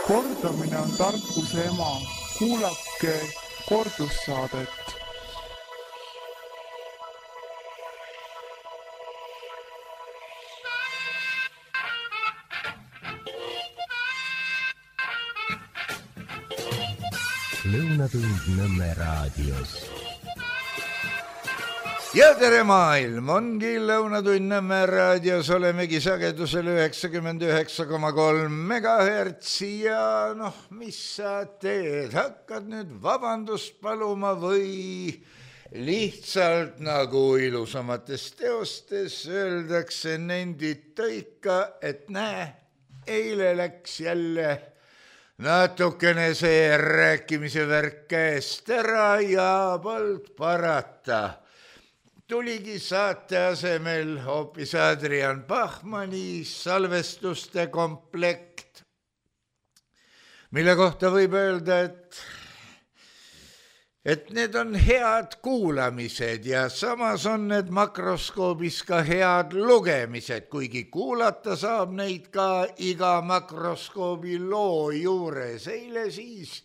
Kordamine on tarkuse ema. Kuulake kordussaadet. Lõunatund Nõmme raadios. Ja tere maailm, ongi Lõunatund Nõmme raadios, olemegi sagedusel 99,3 megahertsi ja mis sa teed, hakkad nüüd vabandust paluma või lihtsalt nagu ilusamates teostes öeldakse, nendita ikka, et näe, eile läks jälle natukene see rääkimise värk käest ära ja polnud parata. Tuligi saate asemel hoopis Adrian Bachmanni salvestuste komplekt, mille kohta võib öelda, et need on head kuulamised ja samas on need makroskoobis ka head lugemised, kuigi kuulata saab neid ka iga makroskoobi loo juures. Eile siis,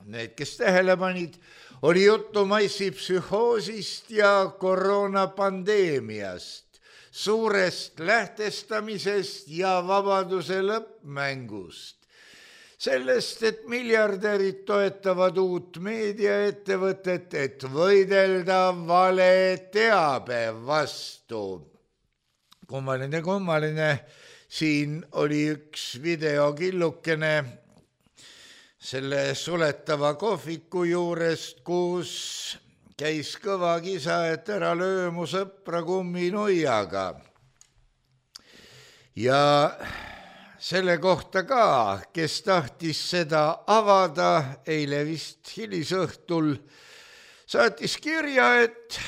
need, kes tähele panid, oli juttu massipsühhoosist ja koroonapandeemiast, suurest lähtestamisest ja vabaduse lõppmängust. Sellest, et miljardärid toetavad uut meediaettevõtet, et võidelda vale teabe vastu. Kummaline, siin oli üks videokillukene selle suletava kohviku juurest, kus käis kõva kisa, et ära löö mu sõpra kumminuiaga. Ja selle kohta ka, kes tahtis seda avada, eile vist hilisõhtul, saatis kirja, et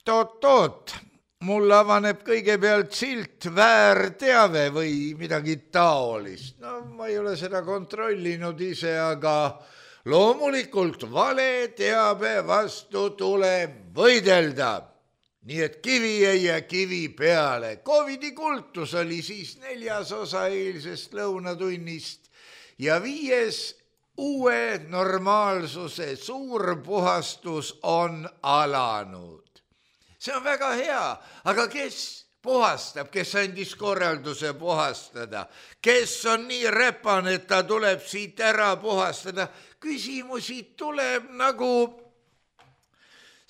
toot, mul avaneb kõigepealt silt väärteave või midagi taolist. Ma ei ole seda kontrollinud ise, aga loomulikult vale teabe vastu tuleb võidelda. Nii et kivi ei jää kivi peale. Covidi kultus oli siis 4. osa eilsest lõunatunnist ja 5. uue normaalsuse suur puhastus on alanud. See on väga hea, aga kes puhastab, kes andis korralduse puhastada, kes on nii räpane, et ta tuleb siit ära puhastada. Küsimusi tuleb nagu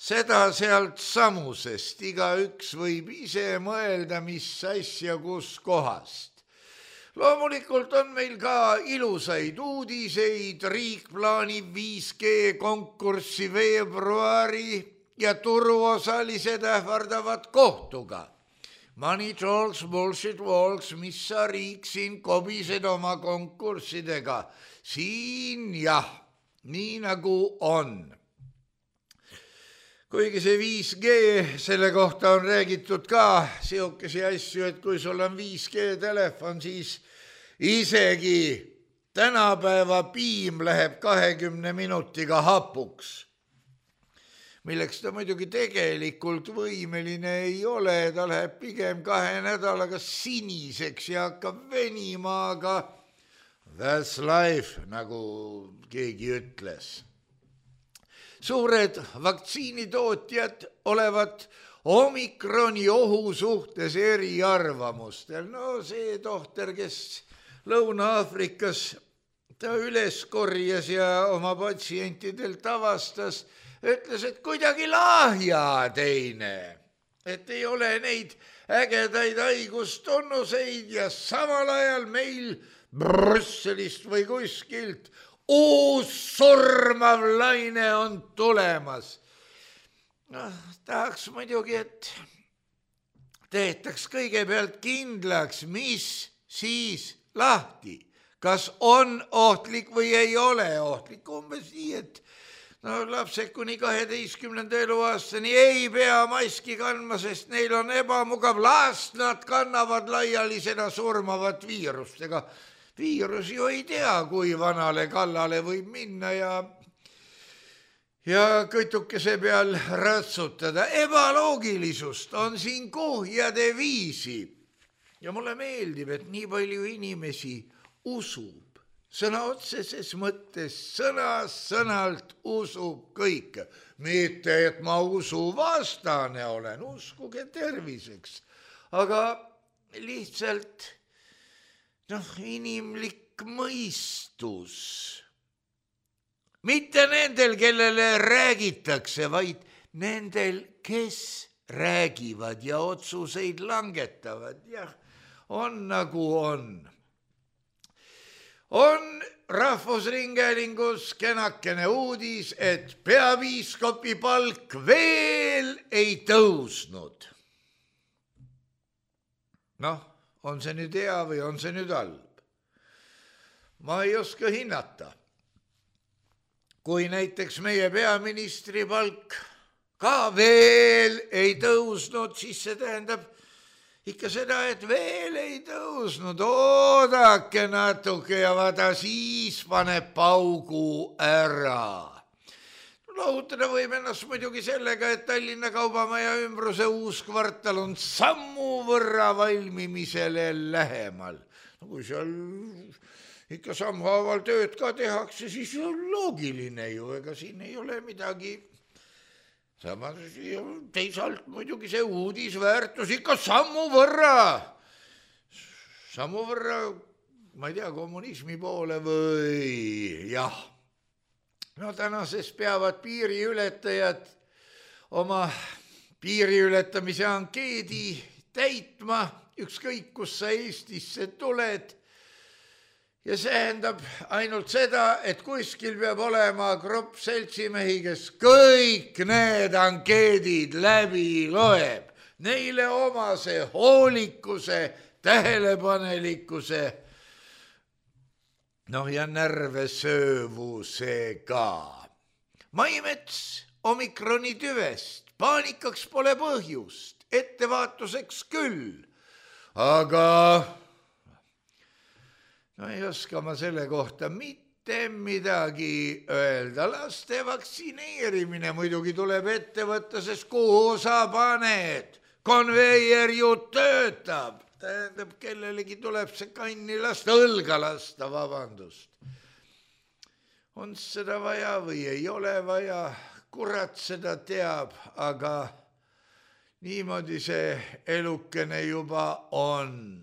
seda sealt samusest, igaüks võib ise mõelda, mis asja kus kohast. Loomulikult on meil ka ilusaid uudiseid, riik plaanib 5G konkurssi veebruari ja turuosalised ähvardavad kohtuga. Money talks, bullshit walks, mis sa riik siin kobised oma konkurssidega. Siin jah, nii nagu on. Kuigi see 5G, selle kohta on räägitud ka siukesi asju, et kui sul on 5G telefon, siis isegi tänapäeva piim läheb 20 minutiga hapuks. Milleks ta muidugi tegelikult võimeline ei ole, ta läheb pigem 2 nädalaga siniseks ja hakkab venima, aga that's life, nagu keegi ütles. Suured vaktsiinitootjad olevat omikroni ohu suhtes eriarvamustel. See tohter, kes Lõuna-Aafrikas ta üles korjas ja oma patsientidelt avastas, ütles, et kuidagi lahja teine, et ei ole neid ägedaid haigustunnuseid ja samal ajal meil Brüsselist või kuskilt uus surmav laine on tulemas. Tahaks muidugi, et tehtaks kõigepealt kindlaks, mis siis lahti, kas on ohtlik või ei ole ohtlik. Umbes nii, et lapsed kuni 12. eluaastani ei pea maski kandma, sest neil on ebamugav. Las nad kannavad laiali seda surmavat viirust. Ega viirus ju ei tea, kui vanale kallale võib minna ja kõtukese peal ratsutada. Ebaloogilisust on siin kuhjade viisi. Ja mulle meeldib, et nii palju inimesi usub sõna otseses mõttes sõnalt usub kõike. Mitte, et ma usuvastane olen, uskuge terviseks, aga lihtsalt inimlik mõistus. Mitte nendel, kellele räägitakse, vaid nendel, kes räägivad ja otsuseid langetavad. Jah, on nagu on. On Rahvusringhäälingus kenakene uudis, et peapiiskopi palk veel ei tõusnud. On see nüüd hea või on see nüüd halb? Ma ei oska hinnata. Kui näiteks meie peaministri palk ka veel ei tõusnud, siis see tähendab ikka seda, et veel ei tõusnud. Oodake natuke ja vaata, siis paneb paugu ära. Lohutada võib ennast muidugi sellega, et Tallinna Kaubamaja ümbruse uus kvartal on sammu võrra valmimisele lähemal. Kui seal ikka sammhaaval tööd ka tehakse, siis on loogiline ju, ega siin ei ole midagi. Samas teisalt muidugi see uudisväärtus ikka sammu võrra, ma ei tea, kommunismi poole või jah. Tänases peavad piiriületajad oma piiriületamise ankeedi täitma, ükskõik kus sa Eestisse tuled. Ja see tähendab ainult seda, et kuskil peab olema grupp seltsimehi, kes kõik need ankeedid läbi loeb. Neile omase hoolikuse, tähelepanelikkuse, ja närve söövusega. Maimets omikroni tüvest, paanikaks pole põhjust, ettevaatuseks küll, aga ei oska ma selle kohta mitte midagi öelda. Laste vaktsineerimine muidugi tuleb ette võtta, sest kuhu sa paned? Konveier ju töötab. Tähendab, kellelegi tuleb see kanni lasta, õlga lasta, vabandust. On seda vaja või ei ole vaja? Kurat seda teab, aga niimoodi see elukene juba on.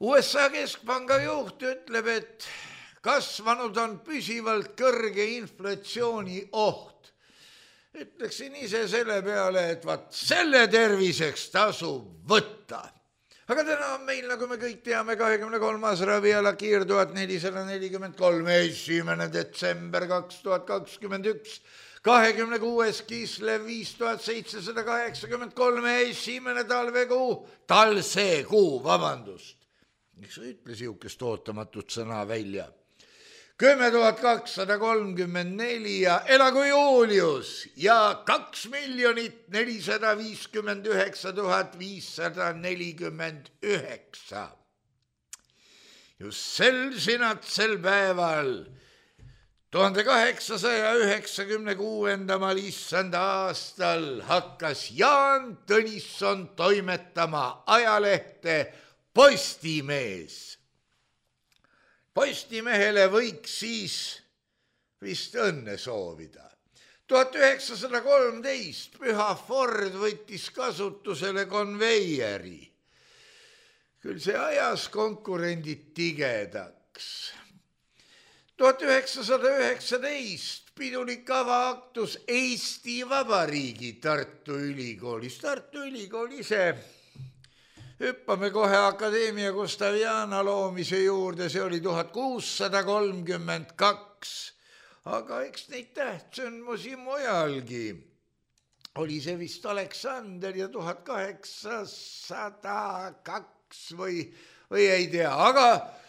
USA keskpanga juht ütleb, et kasvanud on püsivalt kõrge inflatsiooni oht. Ütleksin ise selle peale, et selle terviseks tasub võtta. Aga täna on meil, nagu me kõik teame, 23. raviala Kiir 1443, 1. detsember 2021, 26. Kislev 5783, 1. talvekuu, vabandust. Miks sa ütle siukest ootamatut sõna välja? 10,234 ja elagu Julius ja 2,459,549. Just sel sinatsel päeval 1896. issanda aastal hakkas Jaan Tõnisson toimetama ajalehte Postimees. Postimehele võiks siis vist õnne soovida. 1913 Püha Ford võttis kasutusele konveieri. Küll see ajas konkurendid tigedaks. 1919 pidulik avaaktus Eesti Vabariigi Tartu Ülikoolis. Tartu Ülikool ise. Hüppame kohe Akadeemia Gustaviana loomise juurde, see oli 1632, aga eks neid tähtsündmusi mujalgi. Oli see vist Aleksander ja 1802 või ei tea, aga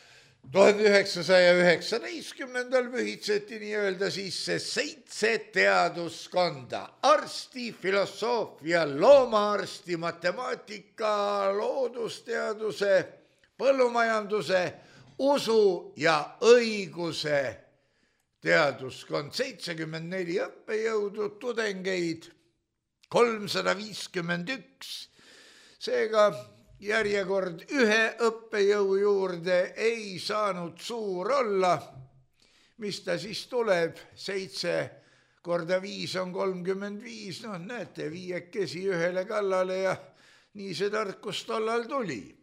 1919 pühitseti nii-öelda sisse 7 teaduskonda: arsti, filosoofia, loomaarsti, matemaatika, loodusteaduse, põllumajanduse, usu ja õiguse teaduskond. 74 õppejõudu, tudengeid 351. Seega järjekord ühe õppejõu juurde ei saanud suur olla, mis ta siis tuleb, 7 korda 5 on 35, noh näete, 5 ühele kallale ja nii see tarkus tollal tuli.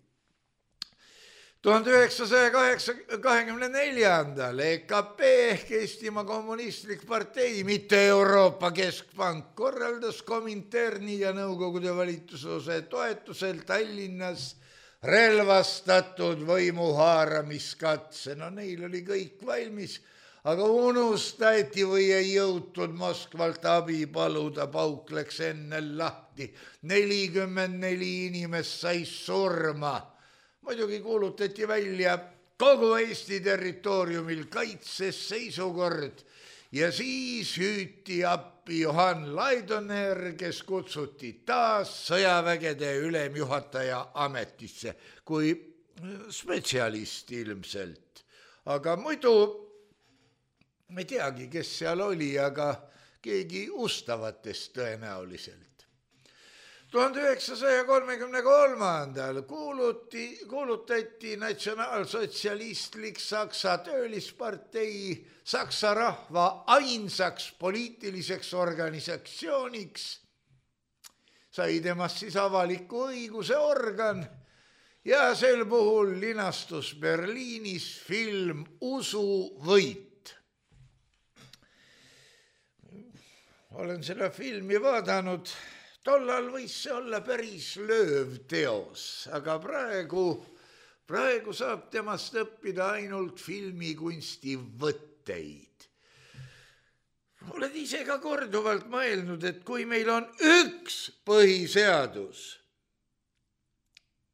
1924. EKP ehk Eestimaa Kommunistlik Partei, mitte Euroopa Keskpank, korraldas Kominterni ja Nõukogude valitsusose toetusel Tallinnas relvastatud võimuhaaramiskatse. No neil oli kõik valmis, aga unustati või ei jõutud Moskvalt abi paluda, pauk läks enne lahti. 44 inimest sai surma. Muidugi kuulutati välja kogu Eesti territooriumil kaitseseisukord ja siis hüüti appi Johan Laidoner, kes kutsuti taas sõjavägede ülemjuhataja ametisse kui spetsialist ilmselt. Aga muidu ma ei teagi, kes seal oli, aga keegi ustavatest tõenäoliselt. 1933. kuulutati natsionaalsotsialistlik Saksa töölispartei Saksa rahva ainsaks poliitiliseks organisatsiooniks. Sai temast siis avaliku õiguse organ ja sel puhul linastus Berliinis film Usuvõit. Olen seda filmi vaadanud. Tollal võis see olla päris lööv teos, aga praegu saab temast õppida ainult filmikunsti võtteid. Oled ise ka korduvalt mõelnud, et kui meil on üks põhiseadus,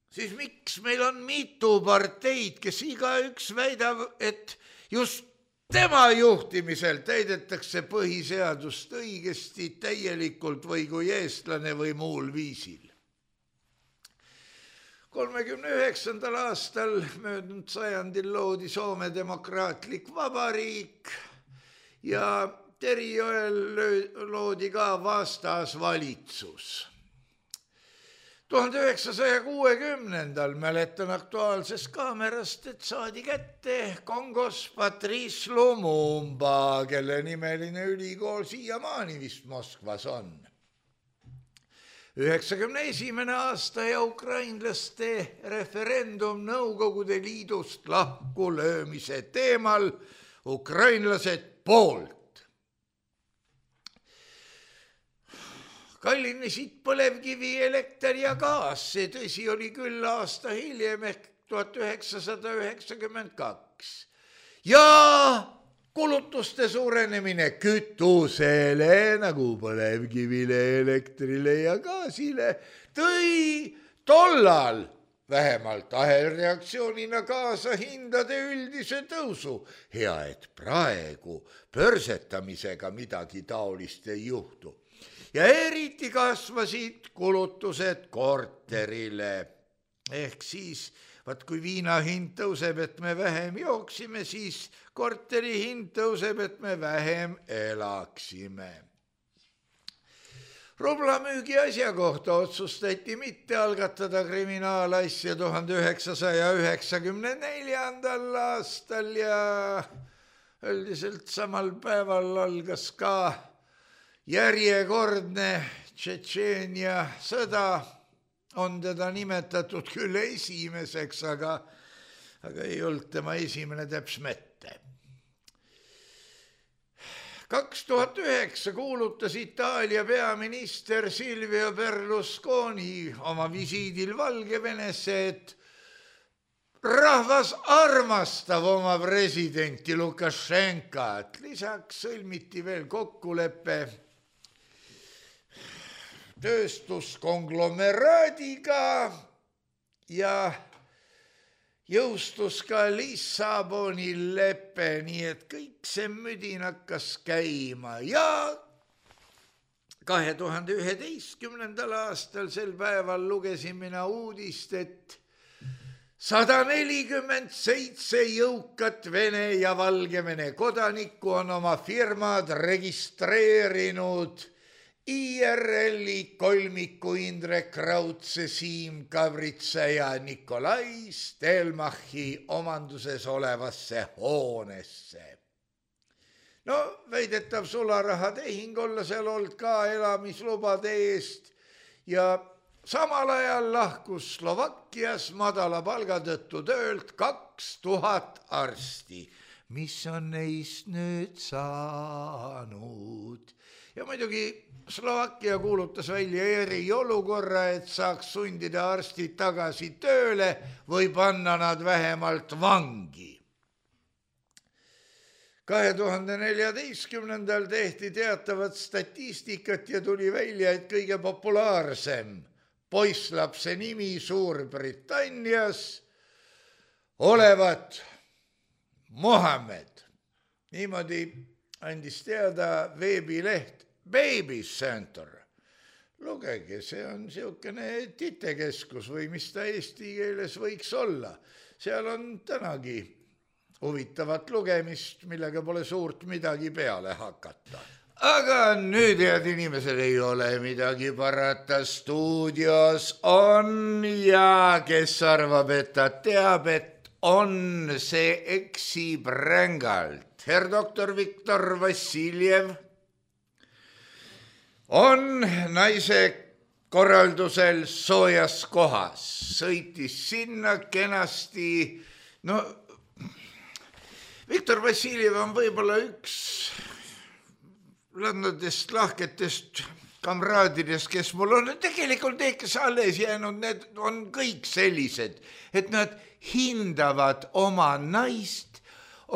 siis miks meil on mitu parteid, kes igaüks väidab, et just tema juhtimisel täidetakse põhiseadust õigesti, täielikult või kui eestlane või muul viisil. 39. aastal möödunud sajandil loodi Soome demokraatlik vabariik ja Terijoel loodi ka vastasvalitsus. 1960. mäletan Aktuaalsest kaamerast, et saadi kätte Kongos Patrice Lumumba, kelle nimeline ülikool siiamaani vist Moskvas on. 91. aasta ja ukrainlaste referendum Nõukogude Liidust lahkulöömise teemal, ukrainlased poolt. Kallinesid põlevkivi, elekter ja gaas, see tõsi oli küll aasta hiljem ehk 1992. Ja kulutuste suurenemine kütusele nagu põlevkivile, elektrile ja gaasile tõi tollal vähemalt ahelreaktsioonina kaasa hindade üldise tõusu. Hea, et praegu pörsetamisega midagi taolist ei juhtu. Ja eriti kasvasid kulutused korterile. Ehk siis, kui viina hind tõuseb, et me vähem jooksime, siis korteri hind tõuseb, et me vähem elaksime. Rublamüügi asja kohta otsustati mitte algatada kriminaalasja 1994. aastal ja üldiselt samal päeval algas ka järjekordne Tšetšeenia sõda, on teda nimetatud küll esimeseks, aga ei olnud tema esimene täps mitte. 2009 kuulutas Itaalia peaminister Silvio Berlusconi oma visiidil Valgevenesse, et rahvas armastab oma presidenti Lukašenkat. Lisaks sõlmiti veel kokkulepe tööstuskonglomeraadiga ja jõustus ka Lissaboni lepe, nii et kõik see müdin hakkas käima ja 2011. aastal sel päeval lugesin mina uudist, et 147 jõukat Vene ja Valgevene kodanikku on oma firmad registreerinud IRL-i kolmiku Indrek Raudse, Siim Kavritsa ja Nikolai Stelmachi omanduses olevasse hoonesse. No, väidetav sularahatehing olla seal olnud ka elamislubade eest ja samal ajal lahkus Slovakkias madala palga tõttu töölt 2000 arsti, mis on neist nüüd saanud. Ja muidugi Slovakkia kuulutas välja eriolukorra, et saaks sundida arstid tagasi tööle või panna nad vähemalt vangi. 2014. tehti teatavat statistikat ja tuli välja, et kõige populaarsem poisslapse nimi Suurbritannias olevat Mohammed. Niimoodi andis teada veebileht Baby Center. Lugege, see on siukene titekeskus või mis ta eesti keeles võiks olla. Seal on tänagi huvitavat lugemist, millega pole suurt midagi peale hakata. Aga nüüd, head inimesed, ei ole midagi parata. Stuudios on ja kes arvab, et ta teab, et on, see eksib rängalt. Herr doktor Viktor Vassiljev on naise korraldusel soojas kohas, sõitis sinna kenasti. No, Viktor Vassiljev on võib-olla üks landadest lahketest kamraadidest, kes mul on. Tegelikult need, kes alles jäänud, need on kõik sellised, et nad hindavad oma naist,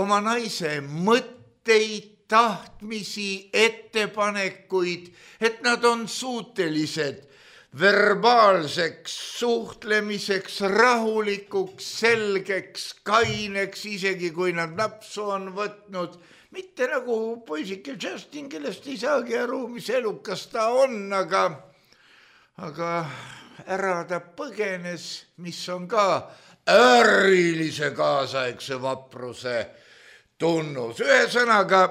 oma naise mõtteid, tahtmisi, ettepanekuid, et nad on suutelised verbaalseks suhtlemiseks, rahulikuks, selgeks, kaineks, isegi kui nad napsu on võtnud. Mitte nagu poisike Justin, kellest ei saagi aru, mis elukas ta on, aga ära ta põgenes, mis on ka ärilise kaasaegse vapruse tunnus. Ühesõnaga,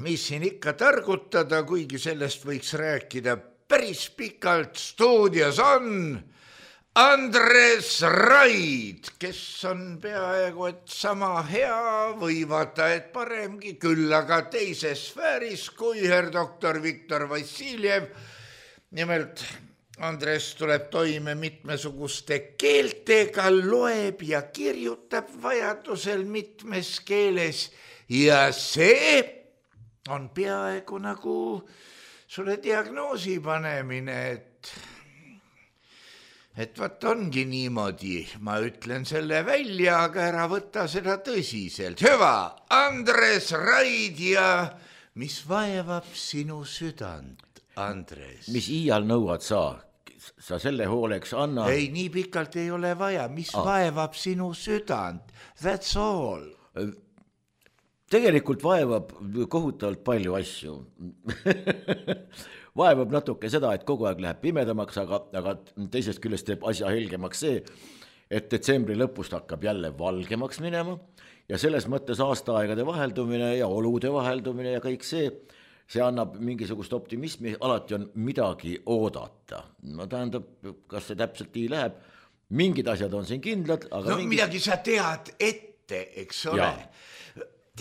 mis siin ikka targutada, kuigi sellest võiks rääkida päris pikalt. Stuudios on Andres Raid, kes on peaaegu et sama hea või vaata et paremgi, küll aga teises sfääris kui herr doktor Viktor Vassiljev. Nimelt Andres tuleb toime mitmesuguste keeltega, loeb ja kirjutab vajadusel mitmes keeles ja see on peaaegu nagu sulle diagnoosi panemine, et vaat ongi niimoodi, ma ütlen selle välja, aga ära võta seda tõsiselt. Hüva, Andres Raid ja mis vaevab sinu südant, Andres? Mis iial nõuad sa selle hooleks anna? Ei, nii pikalt ei ole vaja, mis vaevab sinu südant, that's all. Tegelikult vaevab kohutavalt palju asju. Vaevab natuke seda, et kogu aeg läheb pimedamaks, aga teisest küljest teeb asja helgemaks see, et detsembri lõpust hakkab jälle valgemaks minema ja selles mõttes aastaaegade vaheldumine ja olude vaheldumine ja kõik see annab mingisugust optimismi, alati on midagi oodata. No tähendab, kas see täpselt nii läheb? Mingid asjad on siin kindlad, aga midagi sa tead ette, eks ole?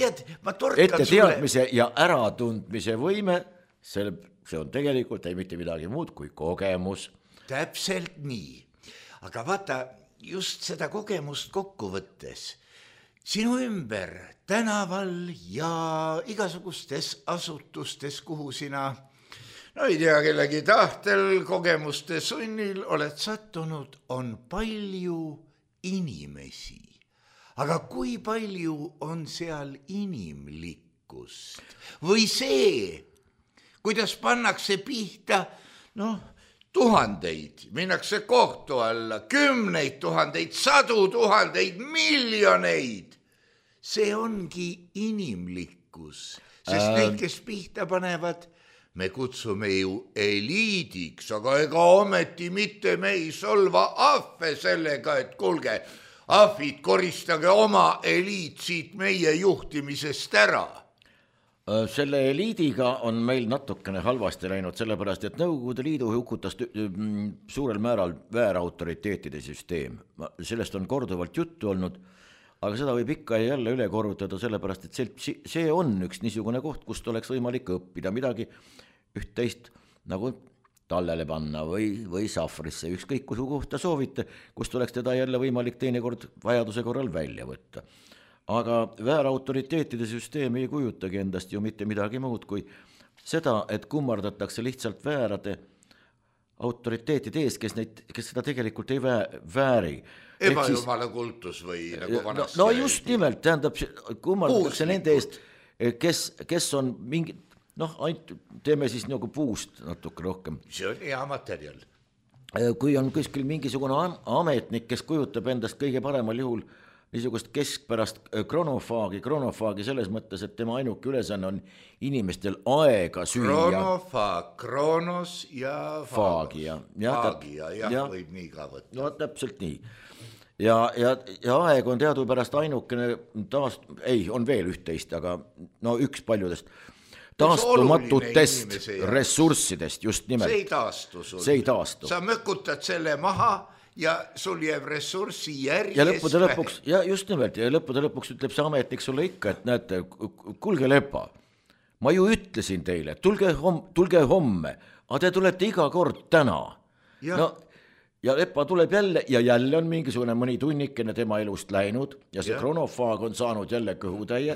Tead, ma torkan ette teadmise ja äratundmise võime, see on tegelikult ei mitte midagi muud kui kogemus. Täpselt nii. Aga vaata, just seda kogemust kokku võttes, sinu ümber tänaval ja igasugustes asutustes, kuhu sina, no ei tea, kellegi tahtel, kogemuste sunnil oled sattunud, on palju inimesi. Aga kui palju on seal inimlikkust? Või see, kuidas pannakse pihta, tuhandeid, minnakse kohtu alla, 10 000, 100 000, miljoneid. See ongi inimlikkus, sest neid, kes pihta panevad, me kutsume ju eliidiks, aga ega ometi mitte me ei solva ahve sellega, et kuulge, ahvid, koristage oma eliit siit meie juhtimisest ära. Selle eliidiga on meil natukene halvasti läinud, sellepärast, et Nõukogude Liidu hukutas suurel määral väärautoriteetide süsteem. Sellest on korduvalt juttu olnud, aga seda võib ikka ja jälle üle korrutada, sellepärast, et see on üks niisugune koht, kust oleks võimalik õppida midagi üht-teist nagu tallele panna või sahvrisse, ükskõik kuhu kohta soovite, kust oleks teda jälle võimalik teinekord vajaduse korral välja võtta. Aga väärautoriteetide süsteem ei kujutagi endast ju mitte midagi muud kui seda, et kummardatakse lihtsalt väärade autoriteetide ees, kes seda tegelikult ei vääri. Ebajumala kultus või nagu vanasti. No just nimelt, tähendab, kummardatakse nende eest, kes on mingi, teeme siis nagu puust natuke rohkem. See on hea materjal. Kui on kuskil mingisugune ametnik, kes kujutab endast kõige paremal juhul niisugust keskpärast kronofaagi selles mõttes, et tema ainuke ülesanne on inimestel aega süüa. Kronofaag, kronos ja faagi. Ja võib nii ka võtta. No täpselt nii. Ja aeg on teadupärast ainukene on veel üht-teist, aga üks paljudest taastumatutest ressurssidest just nimelt. See ei taastu. Sa mökutad selle maha ja sul jääb ressurssi järjest. Ja lõppude lõpuks ütleb see ametnik sulle ikka, et näete, kuulge Lepa, ma ju ütlesin teile, tulge homme, aga te tulete iga kord täna. Ja Lepa tuleb jälle ja jälle on mingisugune mõni tunnikene tema elust läinud ja see kronofaag on saanud jälle kõhutäie.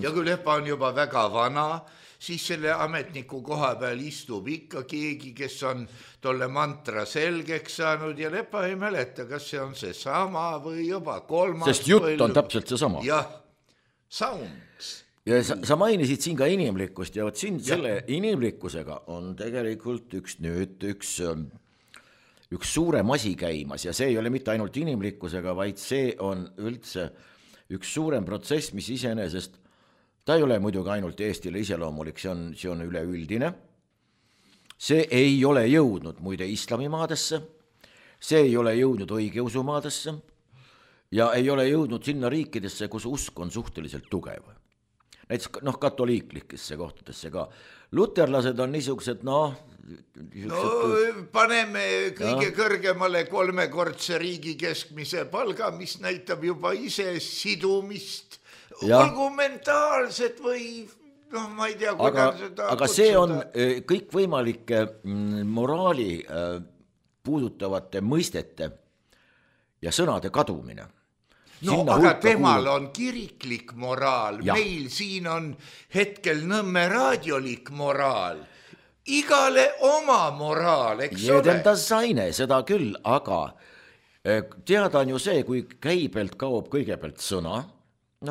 Ja kui Lepa on juba väga vana, siis selle ametniku koha peal istub ikka keegi, kes on tolle mantra selgeks saanud ja Lepa ei mäleta, kas see on see sama või juba kolmas. Sest jutt on täpselt see sama. Jah, sounds. Ja sa mainisid siin ka inimlikkust ja siin selle inimlikkusega on tegelikult üks suurem asi käimas ja see ei ole mitte ainult inimlikkusega, vaid see on üldse üks suurem protsess, mis iseenesest ta ei ole muidugi ainult Eestile iseloomulik, see on üleüldine. See ei ole jõudnud muide islamimaadesse, see ei ole jõudnud õigeusumaadesse ja ei ole jõudnud sinna riikidesse, kus usk on suhteliselt tugev. Näiteks katoliiklikesse kohtadesse ka. Luterlased on niisugused, paneme kõige kõrgemale 3-kordse riigi keskmise palga, mis näitab juba ise sidumist. Olgu mentaalsed või ma ei tea, kuidas seda aga see on kõik võimalike moraali puudutavate mõistete ja sõnade kadumine. Aga temal on kiriklik moraal, meil siin on hetkel Nõmme raadiolik moraal. Igale oma moraal, eks ole? Jedenda saine, seda küll, aga teada on ju see, kui käibelt kaob kõigepealt sõna,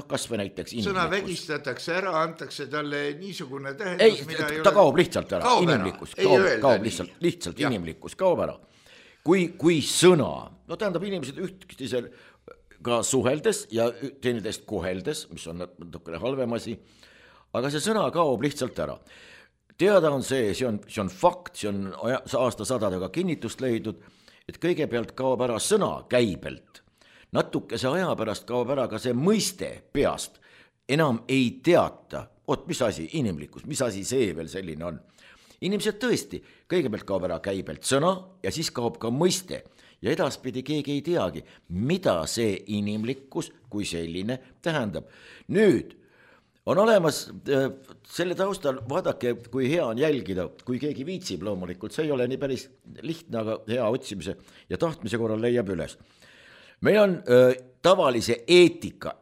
kas või näiteks inimlikkus. Sõna vägistatakse ära, antakse talle niisugune tähendus, mida ei ole. Ta kaob lihtsalt ära, inimlikkus kaob lihtsalt inimlikkus kaob ära. Kui sõna, tähendab inimesed ühtkisel ka suheldes ja teineteist koheldes, mis on natukene halvem asi, aga see sõna kaob lihtsalt ära. Teada on see on fakt, see on aastasadadega kinnitust leidnud, et kõigepealt kaob ära sõna käibelt. Natukese aja pärast kaob ära ka see mõiste peast. Enam ei teata, mis asi inimlikkus, mis asi see veel selline on. Inimesed tõesti, kõigepealt kaob ära käibelt sõna ja siis kaob ka mõiste. Ja edaspidi keegi ei teagi, mida see inimlikkus kui selline tähendab. Nüüd on olemas selle taustal, vaadake, kui hea on jälgida, kui keegi viitsib loomulikult, see ei ole nii päris lihtne, aga hea otsimise ja tahtmise korral leiab üles. Meil on tavalise eetika,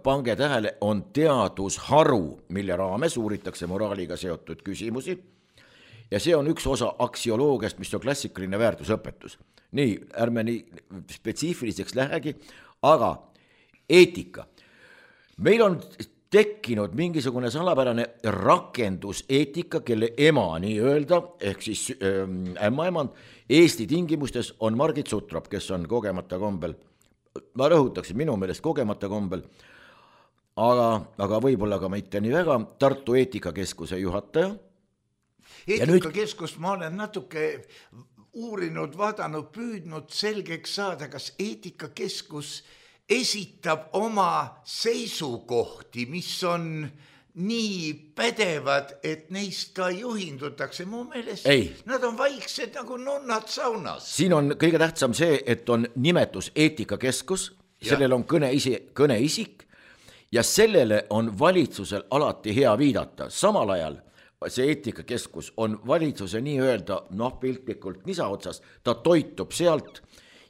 pange tähele, on teadusharu, mille raames uuritakse moraaliga seotud küsimusi ja see on üks osa aksioloogiast, mis on klassikaline väärtusõpetus. Nii, ärme nii spetsiifiliseks lähegi, aga eetika. Meil on tekkinud mingisugune salapärane rakenduseetika, kelle ema nii öelda, ehk siis ämmaemand Eesti tingimustes on Margit Sutrop, kes on kogemata kombel, ma rõhutaksin minu meelest kogemata kombel, aga võib-olla ka mitte nii väga, Tartu eetikakeskuse juhataja. Eetikakeskust ma olen natuke uurinud, vaadanud, püüdnud selgeks saada, kas eetikakeskus esitab oma seisukohti, mis on nii pädevad, et neist ka juhindutakse. Mu meelest nad on vaiksed nagu nonnad saunas. Siin on kõige tähtsam see, et on nimetus eetikakeskus, sellel on kõneisik ja sellele on valitsusel alati hea viidata. Samal ajal see eetikakeskus on valitsuse nii-öelda piltlikult nisa otsas, ta toitub sealt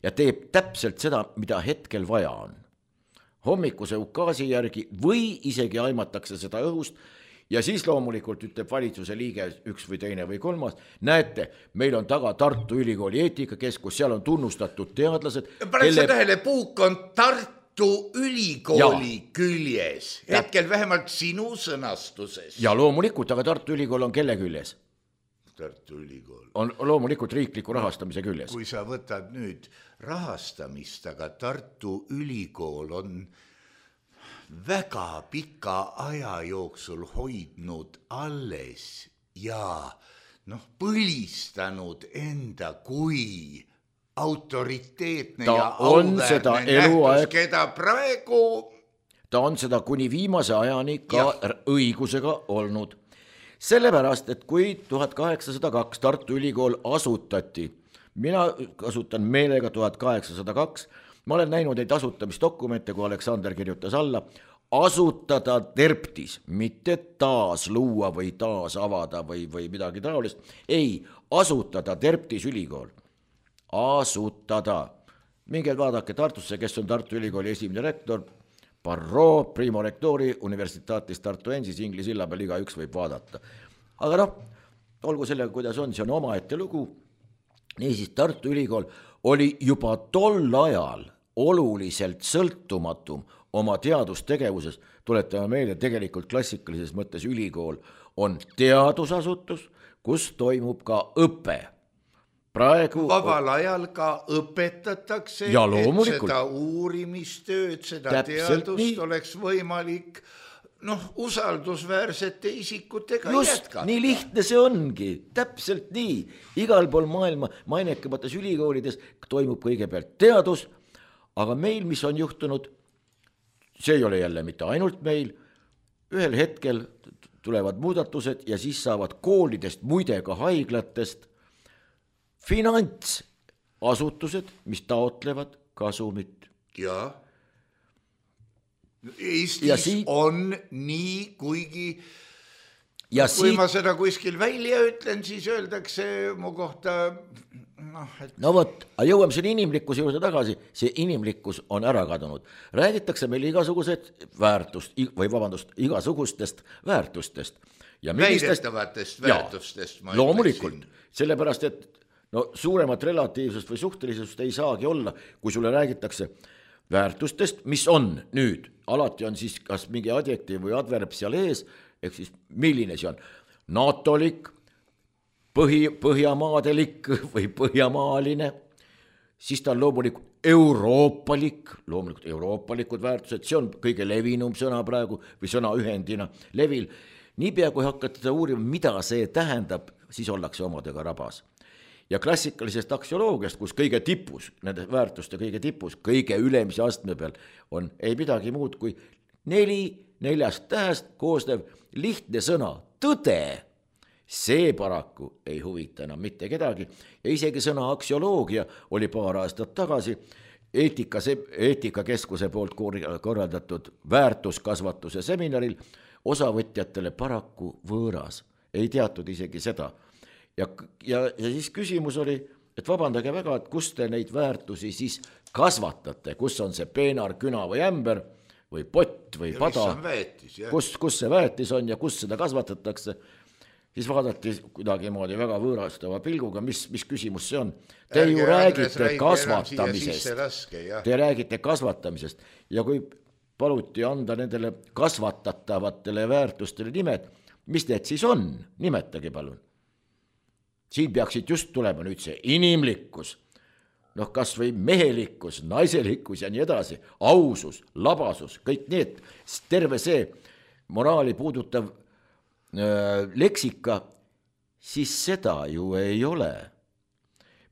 ja teeb täpselt seda, mida hetkel vaja on. Hommikuse ukaasi järgi või isegi aimatakse seda õhust ja siis loomulikult ütleb valitsuse liige üks või teine või kolmas, näete, meil on taga Tartu Ülikooli eetikakeskus, seal on tunnustatud teadlased. Paneks tähele, puuk on Tartu Ülikooli küljes, hetkel vähemalt sinu sõnastuses. Ja loomulikult, aga Tartu Ülikool on kelle küljes? Tartu Ülikool. On loomulikult riikliku rahastamise küljes. Kui sa võtad nüüd rahastamist, aga Tartu Ülikool on väga pika aja jooksul hoidnud alles ja põlistanud enda kui autoriteetne ja auväärne nähtus, keda praegu... Ta on seda kuni viimase ajani ka õigusega olnud. Sellepärast, et kui 1802 Tartu Ülikool asutati, mina kasutan meelega 1802, ma olen näinud neid asutamisdokumente, kui Aleksander kirjutas alla, asutada terptis, mitte taas luua või taas avada või midagi taolist, ei, asutada terptis ülikool, asutada. Minge vaadake Tartusse, kes on Tartu Ülikooli esimene rektor, Barro, Primo Rectori, Universitatis Tartuensis, Ingli silla peal igaüks võib vaadata. Aga olgu sellega, kuidas on, see on omaette lugu. Niisiis, Tartu Ülikool oli juba tol ajal oluliselt sõltumatum oma teadustegevuses. Tuletame meile, tegelikult klassikalises mõttes ülikool on teadusasutus, kus toimub ka õpe. Praegu vabal ajal ka õpetatakse, et seda uurimistööd, seda teadust oleks võimalik usaldusväärsete isikutega jätkata. Nii lihtne see ongi, täpselt nii. Igal pool maailma mainekamates ülikoolides toimub kõigepealt teadus, aga meil, mis on juhtunud, see ei ole jälle mitte ainult meil, ühel hetkel tulevad muudatused ja siis saavad koolidest, muide ka haiglatest finantsasutused, mis taotlevad kasumit. Ja Eestis on nii, kuigi kui ma seda kuskil välja ütlen, siis öeldakse mu kohta jõuame selle inimlikkuse juurde tagasi, see inimlikkus on ära kadunud. Räägitakse meil igasugustest väärtustest. Väidetavatest väärtustest. Loomulikult, sellepärast, et suuremat relatiivsust või suhtelisust ei saagi olla, kui sulle räägitakse väärtustest, mis on nüüd, alati on siis kas mingi adjektiiv või adverb seal ees, ehk siis milline see on, natolik, põhjamaadelik või põhjamaaline, siis ta on loomulikult euroopalikud väärtused, see on kõige levinum sõna praegu või sõna ühendina levil. Niipea kui hakkate seda uurima, mida see tähendab, siis ollakse omadega rabas. Ja klassikalisest aksioloogiast, kus kõige tipus, nende väärtuste kõige tipus, kõige ülemise astme peal on ei midagi muud kui 4 tähest koosnev lihtne sõna, tõde. See paraku ei huvita enam mitte kedagi ja isegi sõna aksioloogia oli paar aastat tagasi eetikakeskuse poolt korraldatud väärtuskasvatuse seminaril osavõtjatele paraku võõras, ei teatud isegi seda. Ja siis küsimus oli, et vabandage väga, et kus te neid väärtusi siis kasvatate, kus on see peenar, küna või ämber või pott või pada, kus see väetis on ja kus seda kasvatatakse, siis vaadati kuidagi moodi väga võõrastava pilguga, mis küsimus see on. Te ju räägite kasvatamisest ja kui paluti anda nendele kasvatatavatele väärtustele nimed, mis need siis on, nimetage palun. Siin peaksid just tulema nüüd see inimlikkus, kas või mehelikkus, naiselikkus ja nii edasi, ausus, labasus, kõik need, terve see moraali puudutav leksika, siis seda ju ei ole.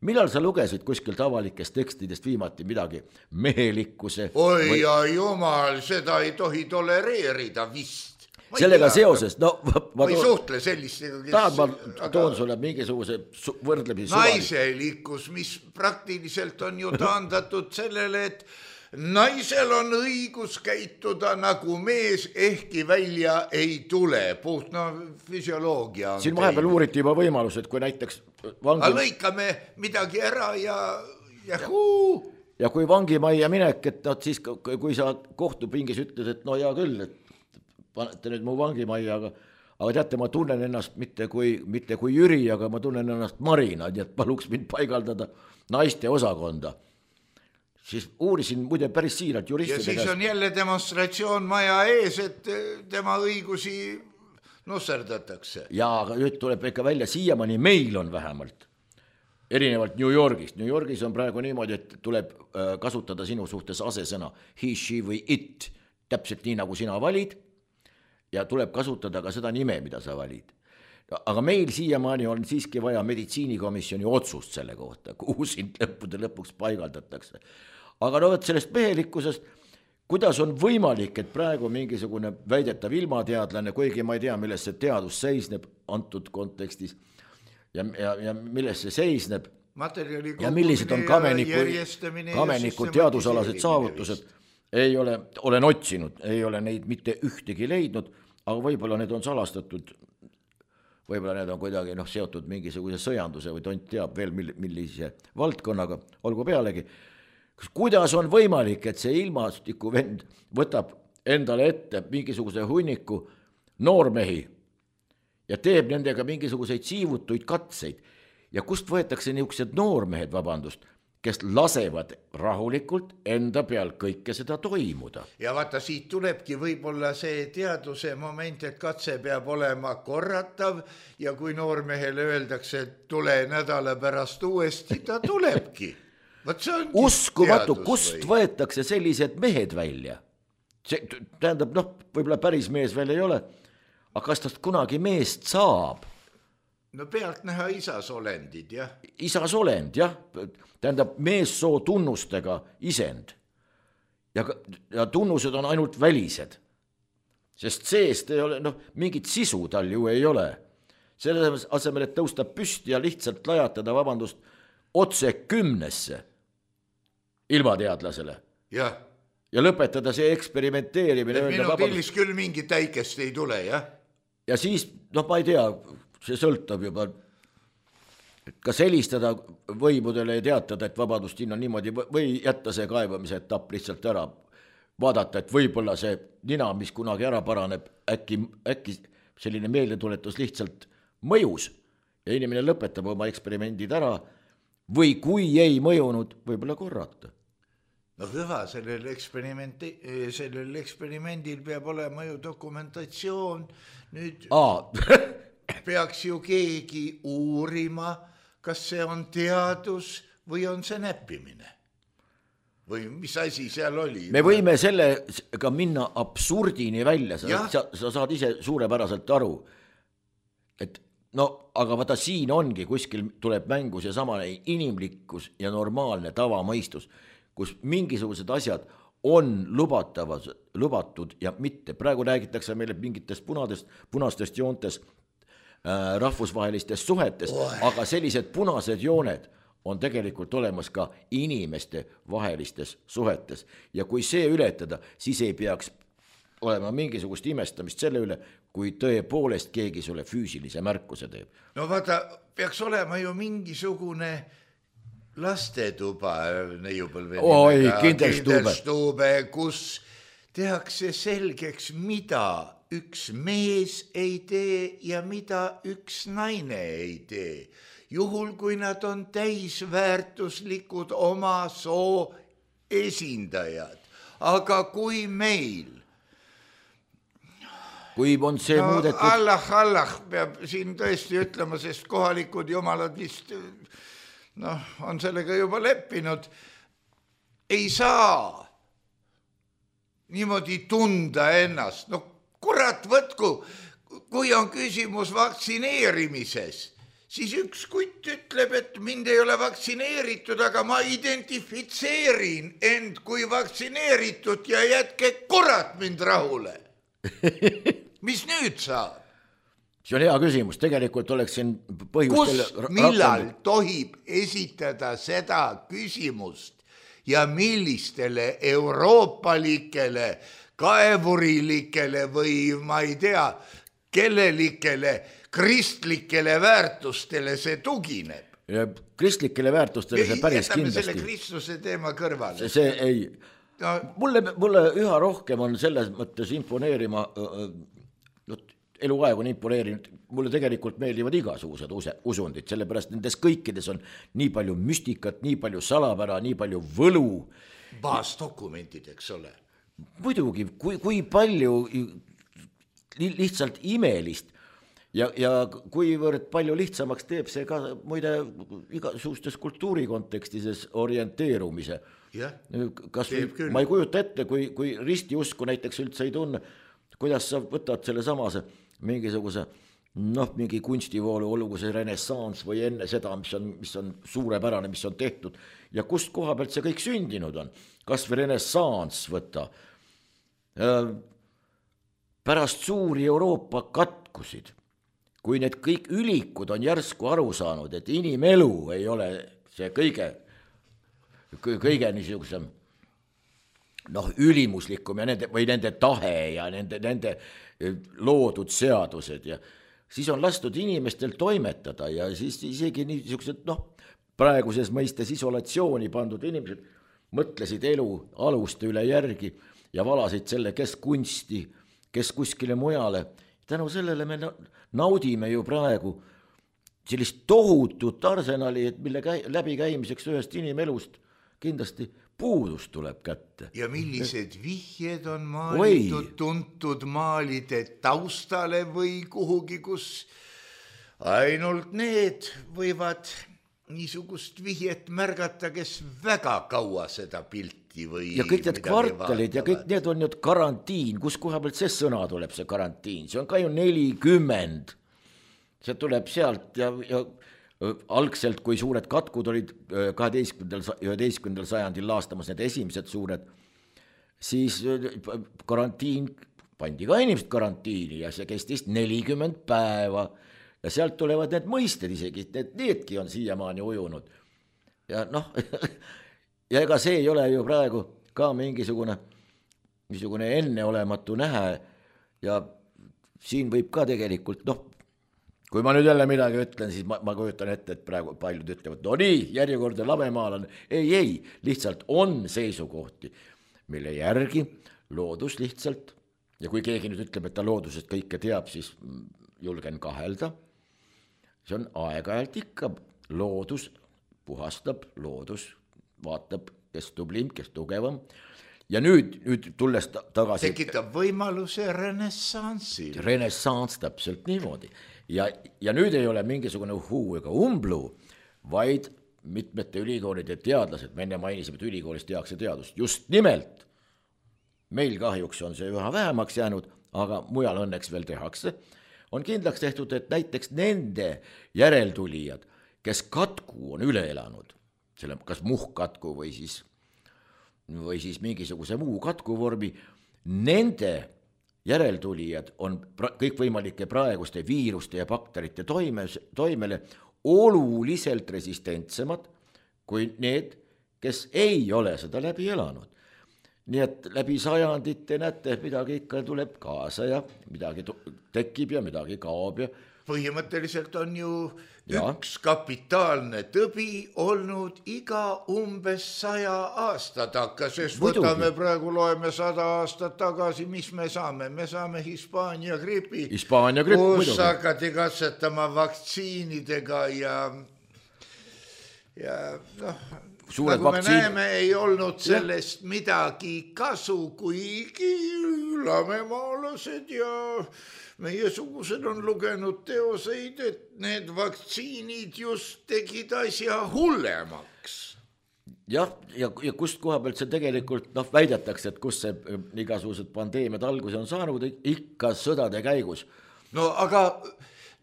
Millal sa lugesid kuskilt avalikest tekstidest viimati midagi mehelikkuse? Oi ja jumal, seda ei tohi tolereerida vist. sellega seoses, no ma ei suhtle sellistega, tahad, ma toon sulle mingisuguse võrdlemisi naiselikkus, mis praktiliselt on ju taandatud sellele, et naisel on õigus käituda nagu mees, ehkki välja ei tule. Puht füsioloogia on siin vahepeal uuriti juba võimalus, et kui näiteks lõikame midagi ära ja kui vangimajja minek, et siis kui sa kohtupingis ütled, et no hea küll, et panete nüüd mu vangimajja, aga teate, ma tunnen ennast mitte kui Jüri, aga ma tunnen ennast Marina, nii et paluks mind paigaldada naiste osakonda. Siis uurisin muide päris siiralt juristide käest. Ja siis on jälle demonstratsioon maja ees, et tema õigusi nusserdatakse. Ja aga nüüd tuleb ikka välja, siiamaani meil on vähemalt, erinevalt New Yorgist. New Yorgis on praegu niimoodi, et tuleb kasutada sinu suhtes asesõna he, she või it, täpselt nii nagu sina valid, ja tuleb kasutada ka seda nime, mida sa valid. Aga meil siiamaani on siiski vaja meditsiinikomisjoni otsust selle kohta, kuhu sind lõpuks paigaldatakse. Aga no sellest mehelikkusest, kuidas on võimalik, et praegu mingisugune väidetav ilmateadlane, kuigi ma ei tea, milles see teadus seisneb antud kontekstis ja milles see seisneb ja millised on kameniku teadusalased saavutused, olen otsinud, ei ole neid mitte ühtegi leidnud, aga võib-olla need on salastatud, võib-olla need on kuidagi seotud mingisuguse sõjanduse või tont teab veel millise valdkonnaga, olgu pealegi. Kuidas on võimalik, et see ilmastiku vend võtab endale ette mingisuguse hunniku noormehi ja teeb nendega mingisuguseid siivutuid katseid ja kust võetakse niisugused noormehed, vabandust, kes lasevad rahulikult enda peal kõike seda toimuda. Ja vaata, siit tulebki võib-olla see teaduse moment, et katse peab olema korratav ja kui noormehele öeldakse, et tule nädala pärast uuesti, ta tulebki. Uskumatu, kust võetakse sellised mehed välja? Tähendab, võib-olla päris mees veel ei ole, aga kas tast kunagi meest saab? No pealt näha isasolendid, jah. Isasolend, jah. Tähendab, meessoo tunnustega isend. Ja tunnused on ainult välised. Sest seest ei ole, mingit sisu tal ju ei ole. Selle asemel, et tõusta püsti ja lihtsalt lajatada, vabandust, otse 10 ilmateadlasele. Jah. Ja lõpetada see eksperimenteerimine. Minu pillis küll mingi täikest ei tule, jah. Ja siis, ma ei tea, see sõltab juba, kas helistada võimudele ja teatada, et vabadust siin on niimoodi, või jätta see kaebamise etapp lihtsalt ära, vaadata, et võib-olla see nina, mis kunagi ära paraneb, äkki selline meeldetuletus lihtsalt mõjus ja inimene lõpetab oma eksperimendid ära või kui ei mõjunud, võib-olla korrata. No hüva, sellel eksperimendil peab olema ju dokumentatsioon, nüüd peaks ju keegi uurima, kas see on teadus või on see näppimine. Või mis asi seal oli? Me võime sellega minna absurdini välja, sa saad ise suurepäraselt aru, et aga vaata siin ongi, kuskil tuleb mängu see samane inimlikkus ja normaalne tavamõistus, kus mingisugused asjad on lubatud ja mitte. Praegu räägitakse meile mingitest punastest joontes rahvusvahelistest suhetest, aga sellised punased jooned on tegelikult olemas ka inimeste vahelistes suhetes. Ja kui see ületada, siis ei peaks olema mingisugust imestamist selle üle, kui tõepoolest keegi sulle füüsilise märkuse teeb. No vaata, peaks olema ju mingisugune lastetuba, kinderstube, kus tehakse selgeks, mida üks mees ei tee ja mida üks naine ei tee. Juhul, kui nad on täisväärtuslikud oma soo esindajad. Aga kui meil kui on see muudetud Allah peab siin tõesti ütlema, sest kohalikud jumalad vist on sellega juba leppinud, ei saa niimoodi tunda ennast. Kurat võtku, kui on küsimus vaktsineerimises, siis üks kutt ütleb, et mind ei ole vaktsineeritud, aga ma identifitseerin end kui vaktsineeritud ja jätke kurat mind rahule. mis nüüd saab? See on hea küsimus, tegelikult oleks siin põhjust... Millal tohib esitada seda küsimust ja millistele euroopalikele, kaevurilikele või ma ei tea, kellelikele kristlikele väärtustele see tugineb? Ja kristlikele väärtustele see päris kindlasti. Jätame selle Kristuse teema kõrvale. See ei... No. Mulle üha rohkem on selles mõttes imponeerima, eluaeg on imponeerinud, mulle tegelikult meeldivad igasugused usundid, sellepärast nendes kõikides on nii palju müstikat, nii palju salapära, nii palju võlu. Baasdokumentid, eks ole. Muidugi, kui palju lihtsalt imelist ja kuivõrd palju lihtsamaks teeb see ka muide igasugustes kultuuri kontekstides orienteerumise. Kas ma ei kujuta ette, kui ristiusku näiteks üldse ei tunne, kuidas sa võtad selle samase mingisuguse, mingi kunstivoolu, olgu see renessans või enne seda, mis on suurepärane, mis on tehtud ja kust koha pealt see kõik sündinud on. Kas või renessans võtta. Pärast suuri Euroopa katkusid, kui need kõik ülikud on järsku aru saanud, et inimelu ei ole see kõige niisugusem ülimuslikum ja nende tahe ja nende loodud seadused ja siis on lastud inimestel toimetada ja siis isegi niisugused praeguses mõistes isolatsiooni pandud inimesed mõtlesid elu aluste üle järgi ja valasid selle, kes kunsti, kes kuskile mujale. Tänu sellele me naudime ju praegu sellist tohutut arsenali, mille läbikäimiseks ühest inimelust kindlasti puudus tuleb kätte. Ja millised vihjed on maalitud tuntud maalide taustale või kuhugi, kus ainult need võivad niisugust vihjet märgata, kes väga kaua seda pilti või ja kõik need kvartalid ja kõik need on nüüd karantiin, kus koha pealt see sõna tuleb, see karantiin, see on ka ju 40, see tuleb sealt ja algselt, kui suured katkud olid 11. sajandil laastamas need esimesed suured, siis karantiin, pandi ka inimesed karantiini ja see kestis 40 päeva ja sealt tulevad need mõisted isegi, needki on siiamaani ujunud. Ja ja ega see ei ole ju praegu ka mingisugune enneolematu nähe ja siin võib ka tegelikult, kui ma nüüd jälle midagi ütlen, siis ma kujutan ette, et praegu paljud ütlevad, nii, järjekordne lamemaalan. Ei, lihtsalt on seisukohti, mille järgi loodus lihtsalt, ja kui keegi nüüd ütleb, et ta loodusest kõike teab, siis julgen kahelda. See on aeg-ajalt ikka, loodus puhastab, loodus vaatab, kes tublim, kes tugevam. Ja nüüd tulles tagasi... Tekitab võimaluse renessansil. Renessans täpselt niimoodi. Ja nüüd ei ole mingisugune huu ega umblu, vaid mitmete ülikoolide teadlased, me enne mainisime, et ülikoolist tehakse teadust. Just nimelt, meil kahjuks on see üha vähemaks jäänud, aga mujal õnneks veel tehakse, on kindlaks tehtud, et näiteks nende järeltulijad, kes katku on üle elanud, kas muhkkatku või siis mingisuguse muu katkuvormi, nende järeltulijad on kõikvõimalike praeguste viiruste ja bakterite toimele oluliselt resistentsemad kui need, kes ei ole seda läbi elanud. Nii et läbi sajandite näete, midagi ikka tuleb kaasa ja midagi tekib ja midagi kaob. Põhimõtteliselt on ju üks kapitaalne tõbi olnud iga umbes 100 aasta takka, sest võtame praegu, loeme 100 aastat tagasi, mis me saame? Me saame Hispaania gripi, kus hakati katsetama vaktsiinidega ja nagu me näeme, ei olnud sellest midagi kasu, kuigi lamemaalased ja meiesugused on lugenud teoseid, et need vaktsiinid just tegid asja hullemaks. Ja kust koha pealt see tegelikult väidetakse, et kus see igasugused pandeemiad alguse on saanud, ikka sõdade käigus. No aga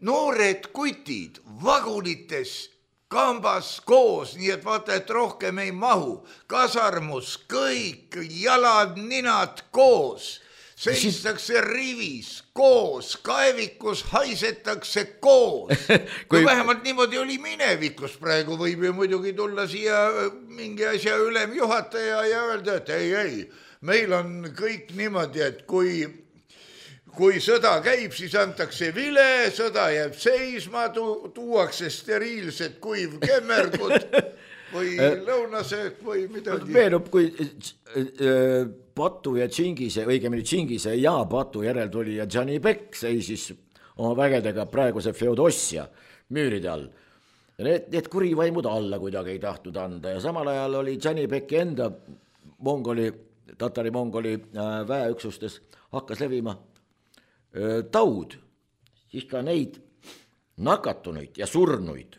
noored kutid vagunites kambas koos, nii et vaata, et rohkem ei mahu, kasarmus, kõik jalad, ninad koos. seistakse rivis koos, kaevikus haisetakse koos. Kui vähemalt niimoodi oli minevikus, praegu võib ju muidugi tulla siia mingi asja ülemjuhataja ja öelda, et ei, meil on kõik niimoodi, et kui sõda käib, siis antakse vile, sõda jääb seisma, tuuakse steriilsed kuivkemmergud või lõunasöök või midagi. Meenub, kui Patu ja Tšingise, õigemini Tšingise ja Patu järel tuli ja Gianni Beck seisis oma vägedega praeguse Feodossia müüride all. Need kurivaimud alla kuidagi ei tahtnud anda ja samal ajal oli Gianni Becki enda tatari-mongoli väeüksustes hakkas levima taud, siis ka neid nakatunuid ja surnuid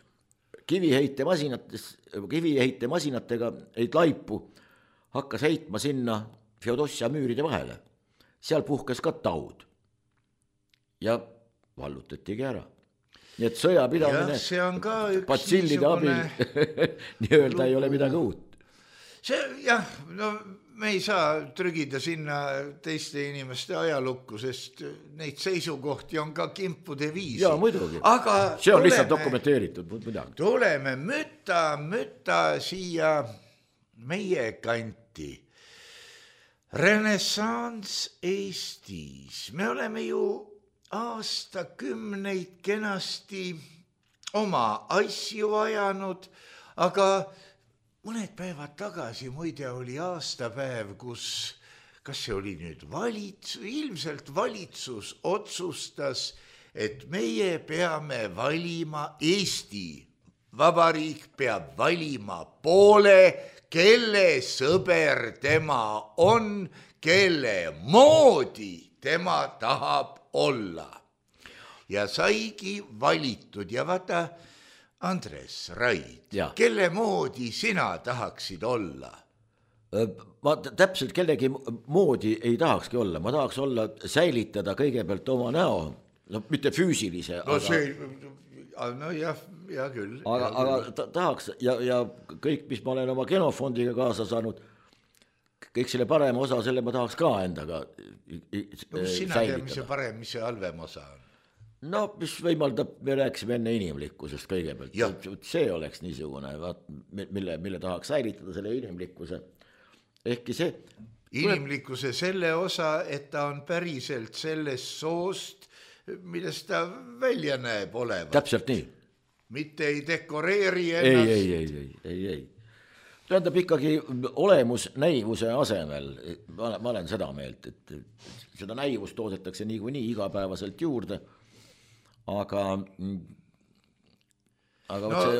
kiviheitemasinatega neid laipu hakkas heitma sinna Feodossia müüride vahele. Seal puhkes ka taud ja vallutatigi ära. Nii et sõjapidamine see on ka üks patsillide abil nii-öelda ei ole midagi uut. Me ei saa trügida sinna teiste inimeste ajalukku, sest neid seisukohti on ka kimpude viisi. Jaa, muidugi. Aga see on lihtsalt dokumenteeritud. Tuleme mütta siia meie kanti. Renessanss Eestis. Me oleme ju aastakümneid kenasti oma asju ajanud, aga mõned päevad tagasi muide oli aastapäev, kus, kas see oli nüüd ilmselt valitsus otsustas, et meie peame valima, Eesti Vabariik peab valima poole, kelle sõber tema on, kelle moodi tema tahab olla. Ja saigi valitud ja vaata, Andres Raid, kelle moodi sina tahaksid olla? Ma täpselt kellegi moodi ei tahakski olla, ma tahaks olla, säilitada kõigepealt oma näo, mitte füüsilise. Ja küll. Aga tahaks ja kõik, mis ma olen oma genofondiga kaasa saanud, kõik selle parema osa, selle ma tahaks ka endaga sina tead, mis see parem, mis see halvem osa on? No, mis võimaldab, me rääkisime enne inimlikkusest kõigepealt. See oleks niisugune, mille tahaks säilitada selle inimlikkuse. Ehkki see... Inimlikkuse selle osa, et ta on päriselt sellest soost, millest ta välja näeb olevat. Täpselt nii. Mitte ei dekoreeri ennast. Ei. Tähendab ikkagi olemus näivuse asemel. Ma olen seda meelt, et seda näivust toodetakse nii igapäevaselt juurde. Aga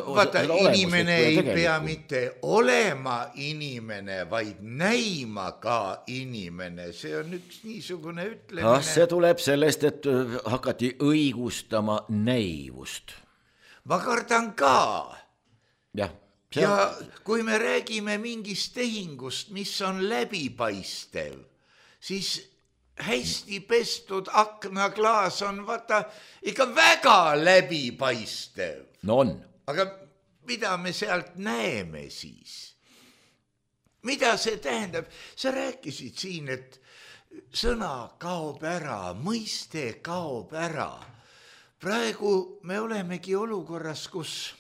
vaata, inimene ei pea mitte olema inimene, vaid näima ka inimene. See on üks niisugune ütlemine. See tuleb sellest, et hakati õigustama näivust. Ma kardan ka. Ja kui me räägime mingist tehingust, mis on läbipaistev, siis hästi pestud aknaklaas on vaata ikka väga läbipaistev. No on. Aga mida me sealt näeme siis? Mida see tähendab? Sa rääkisid siin, et sõna kaob ära, mõiste kaob ära. Praegu me olemegi olukorras, kus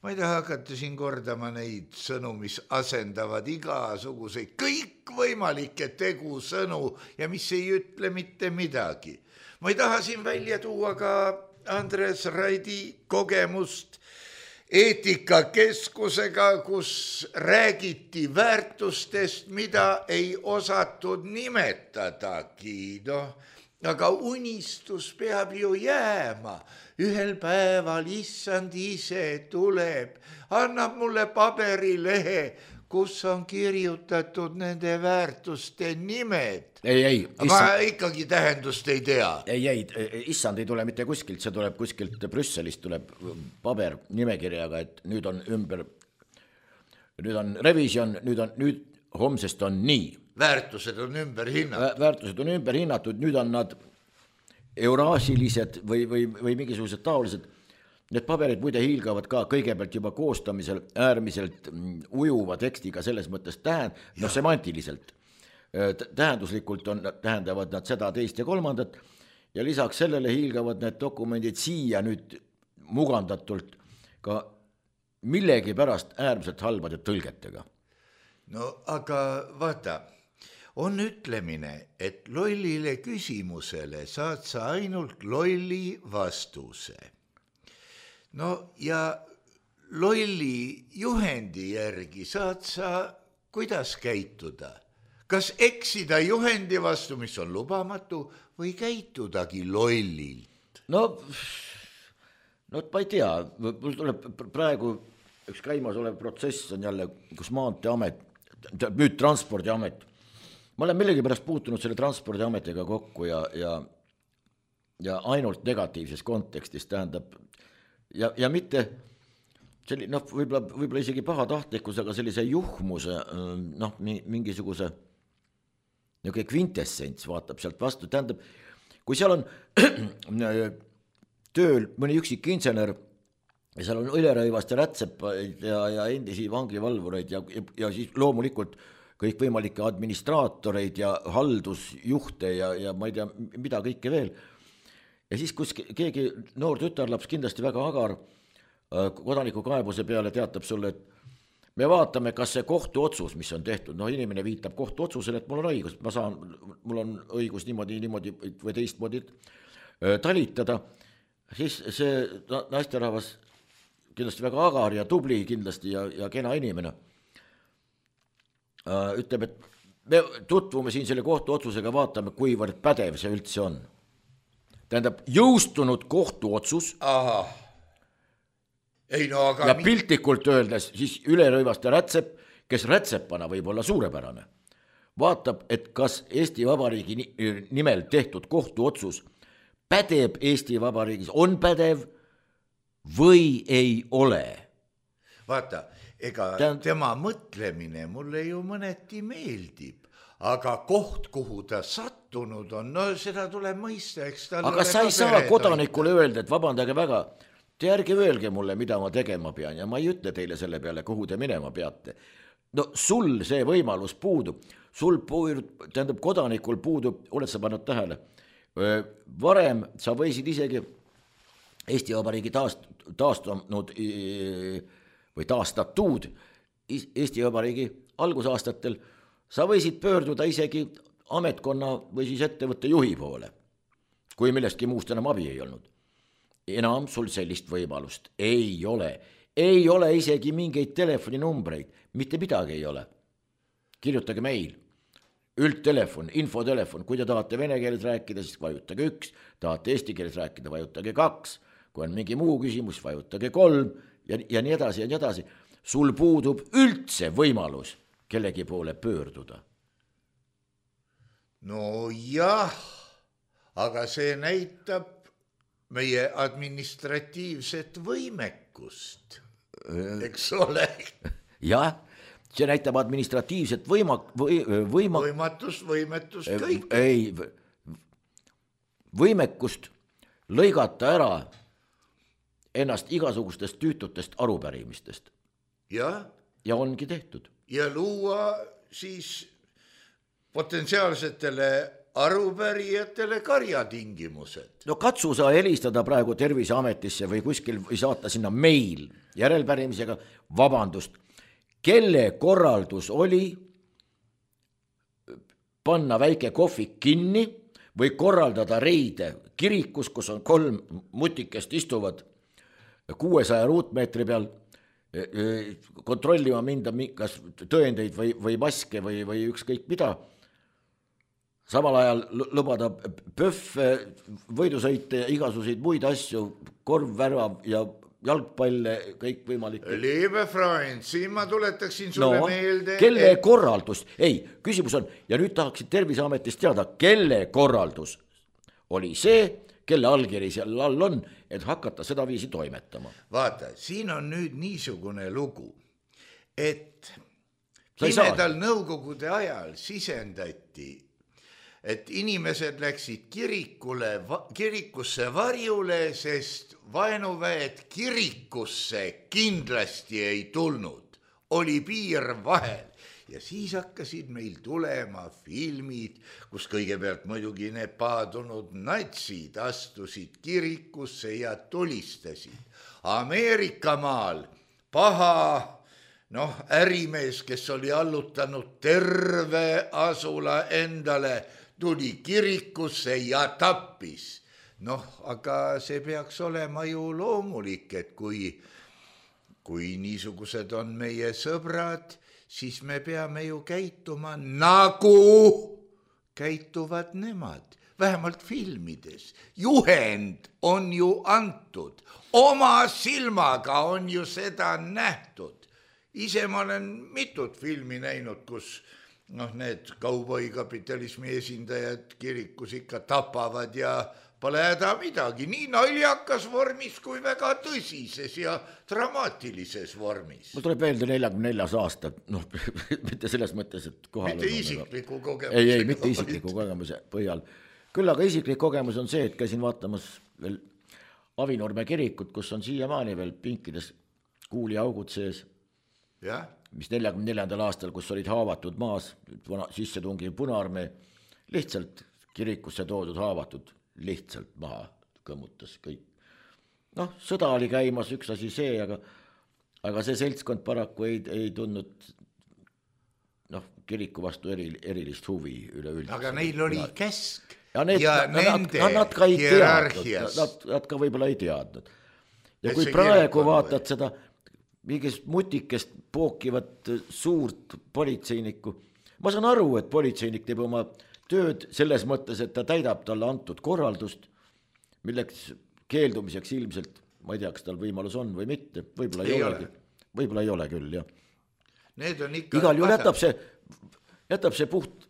ma ei taha hakata siin kordama neid sõnu, mis asendavad igasuguseid kõikvõimalikke tegusõnu ja mis ei ütle mitte midagi. Ma ei taha siin välja tuua ka Andres Raidi kogemust eetikakeskusega, kus räägiti väärtustest, mida ei osatud nimetadagi. Aga unistus peab ju jääma. Ühel päeval issand ise tuleb, annab mulle paberilehe, kus on kirjutatud nende väärtuste nimed. Ei. Ma ikkagi tähendust ei tea. Ei, issand ei tule mitte kuskilt, see tuleb kuskilt Brüsselist, tuleb paber nimekirjaga, et nüüd on revision, nüüd homsest on nii. Väärtused on ümber hinnatud, nüüd on nad euraasilised või mingisugused taolised. Need paberid muide hiilgavad ka kõigepealt juba koostamisel äärmiselt ujuva tekstiga selles mõttes semantiliselt. tähenduslikult tähendavad nad seda, teist ja kolmandat ja lisaks sellele hiilgavad need dokumendid siia nüüd mugandatult ka millegi pärast äärmiselt halbade tõlgetega. No aga vaata, on ütlemine, et lollile küsimusele saad sa ainult lolli vastuse. No ja lolli juhendi järgi saad sa kuidas käituda? Kas eksida juhendi vastu, mis on lubamatu, või käitudagi lollilt? No ma ei tea, mul tuleb praegu üks käimas olev protsess on jälle, kus Maanteeamet, nüüd Transpordiamet, ma olen millegipärast puutunud selle Transpordiametiga kokku ja ainult negatiivses kontekstis tähendab ja mitte selline, võib-olla isegi pahatahtlikkus, aga sellise juhmuse, mingisuguse kvintessents vaatab sealt vastu, tähendab, kui seal on tööl mõni üksik insener ja seal on õlerõivast ja rätsepaid ja endisi vangivalvureid ja siis loomulikult kõikvõimalikke administraatoreid ja haldusjuhte ja ma ei tea, mida kõike veel. Ja siis, kus keegi noor tütarlaps kindlasti väga agar kodanikukaebuse peale teatab sulle, et me vaatame, kas see kohtuotsus, mis on tehtud, inimene viitab kohtuotsusele, et mul on õigus, mul on õigus niimoodi või teistmoodi talitada, siis see naisterahvas kindlasti väga agar ja tubli kindlasti ja kena inimene ütleb, et me tutvume siin selle kohtuotsusega, vaatame, kuivõrd pädev see üldse on. Tähendab, jõustunud kohtuotsus ja piltlikult öeldes siis ülerõivaste rätsep, kes rätsepana võib olla suurepärane, vaatab, et kas Eesti Vabariigi nimel tehtud kohtuotsus pädeb Eesti Vabariigis, on pädev või ei ole. Vaata, ega tema mõtlemine mulle ju mõneti meeldib, aga koht, kuhu ta sattunud on, seda tuleb mõista, eks tal aga sa ei saa kodanikule öelda, et vabandage väga, te ärge öelge mulle, mida ma tegema pean ja ma ei ütle teile selle peale, kuhu te minema peate. No sul see võimalus puudub, tähendab kodanikul puudub, oled sa pannud tähele, varem sa võisid isegi Eesti Vabariigi taastunud või taastatud Eesti Vabariigi algusaastatel, sa võisid pöörduda isegi ametkonna või siis ettevõtte juhi poole, kui millestki muust enam abi ei olnud. Enam sul sellist võimalust ei ole isegi mingeid telefoninumbreid, mitte midagi ei ole. Kirjutage meil, üldtelefon, infotelefon, kui te tahate vene keeles rääkida, siis vajutage 1, tahate eesti keeles rääkida, vajutage 2, kui on mingi muu küsimus, vajutage 3 ja nii edasi ja nii edasi. Sul puudub üldse võimalus kellegi poole pöörduda. No jah, aga see näitab meie administratiivset võimekust, eks ole? Jah, see näitab administratiivset võimetust, kõik. Võimekust lõigata ära ennast igasugustest tüütutest arupärimistest. Ja ongi tehtud. Ja luua siis potentsiaalsetele arupärijatele karjatingimused. No katsu sa helistada praegu Terviseametisse või kuskil või saata sinna meil järelpärimisega, vabandust, kelle korraldus oli panna väike kohvik kinni või korraldada reide kirikus, kus on 3 mutikest istuvad 600 ruutmeetri peal, kontrollima minda kas tõendeid või maske või ükskõik mida, samal ajal lubada pöffe, võidusõite, igasuguseid muid asju, korvvärva ja jalgpalle, kõik võimalik. Liebe Freund, siin ma tuletaksin sulle meelde. Kelle korraldus? Ei, küsimus on, ja nüüd tahaksid Terviseametist teada, kelle korraldus oli see, kelle allkiri seal all on, et hakata seda viisi toimetama. Vaata, siin on nüüd niisugune lugu, et pimedal nõukogude ajal sisendati, et inimesed läksid kirikusse varjule, sest vaenuväed kirikusse kindlasti ei tulnud. Oli piir vahel ja siis hakkasid meil tulema filmid, kus kõigepealt muidugi need paadunud natsid astusid kirikusse ja tulistasid. Ameerikamaal paha ärimees, kes oli allutanud terve asula endale, tuli kirikusse ja tappis. Aga see peaks olema ju loomulik, et kui niisugused on meie sõbrad, siis me peame ju käituma nagu käituvad nemad, vähemalt filmides. Juhend on ju antud, oma silmaga on ju seda nähtud. Ise ma olen mitut filmi näinud, kus need kauboikapitalismi esindajad kirikus ikka tapavad ja pole häda midagi, nii naljakas vormis kui väga tõsises ja dramaatilises vormis. Mul tuleb meelde 44 aasta, mitte selles mõttes, et kohal mitte isikliku kogemuse. Ei, mitte isikliku kogemuse põhjal. Küll aga isiklik kogemus on see, et käisin vaatamas veel Avinurme kirikut, kus on siiamaani veel pinkides kuuliaugud sees, mis 44. aastal, kus olid haavatud maas, sisse tungiv Punaarmee, lihtsalt kirikusse toodud haavatud lihtsalt maha kõmmutas kõik. Sõda oli käimas, üks asi see, aga see seltskond paraku ei tundnud kiriku vastu erilist huvi üleüldiselt. Aga neil oli käsk ja nende hierarhias. Nad ka võib-olla ei teadnud. Ja kui praegu vaatad seda mingist mutikest pookivat suurt politseinikku, ma saan aru, et politseinik teeb oma tööd selles mõttes, et ta täidab talle antud korraldust, milleks keeldumiseks ilmselt, ma ei tea, kas tal võimalus on või mitte, võib-olla ei ole küll, jah. Need on ikka igal juhul jätab see puht,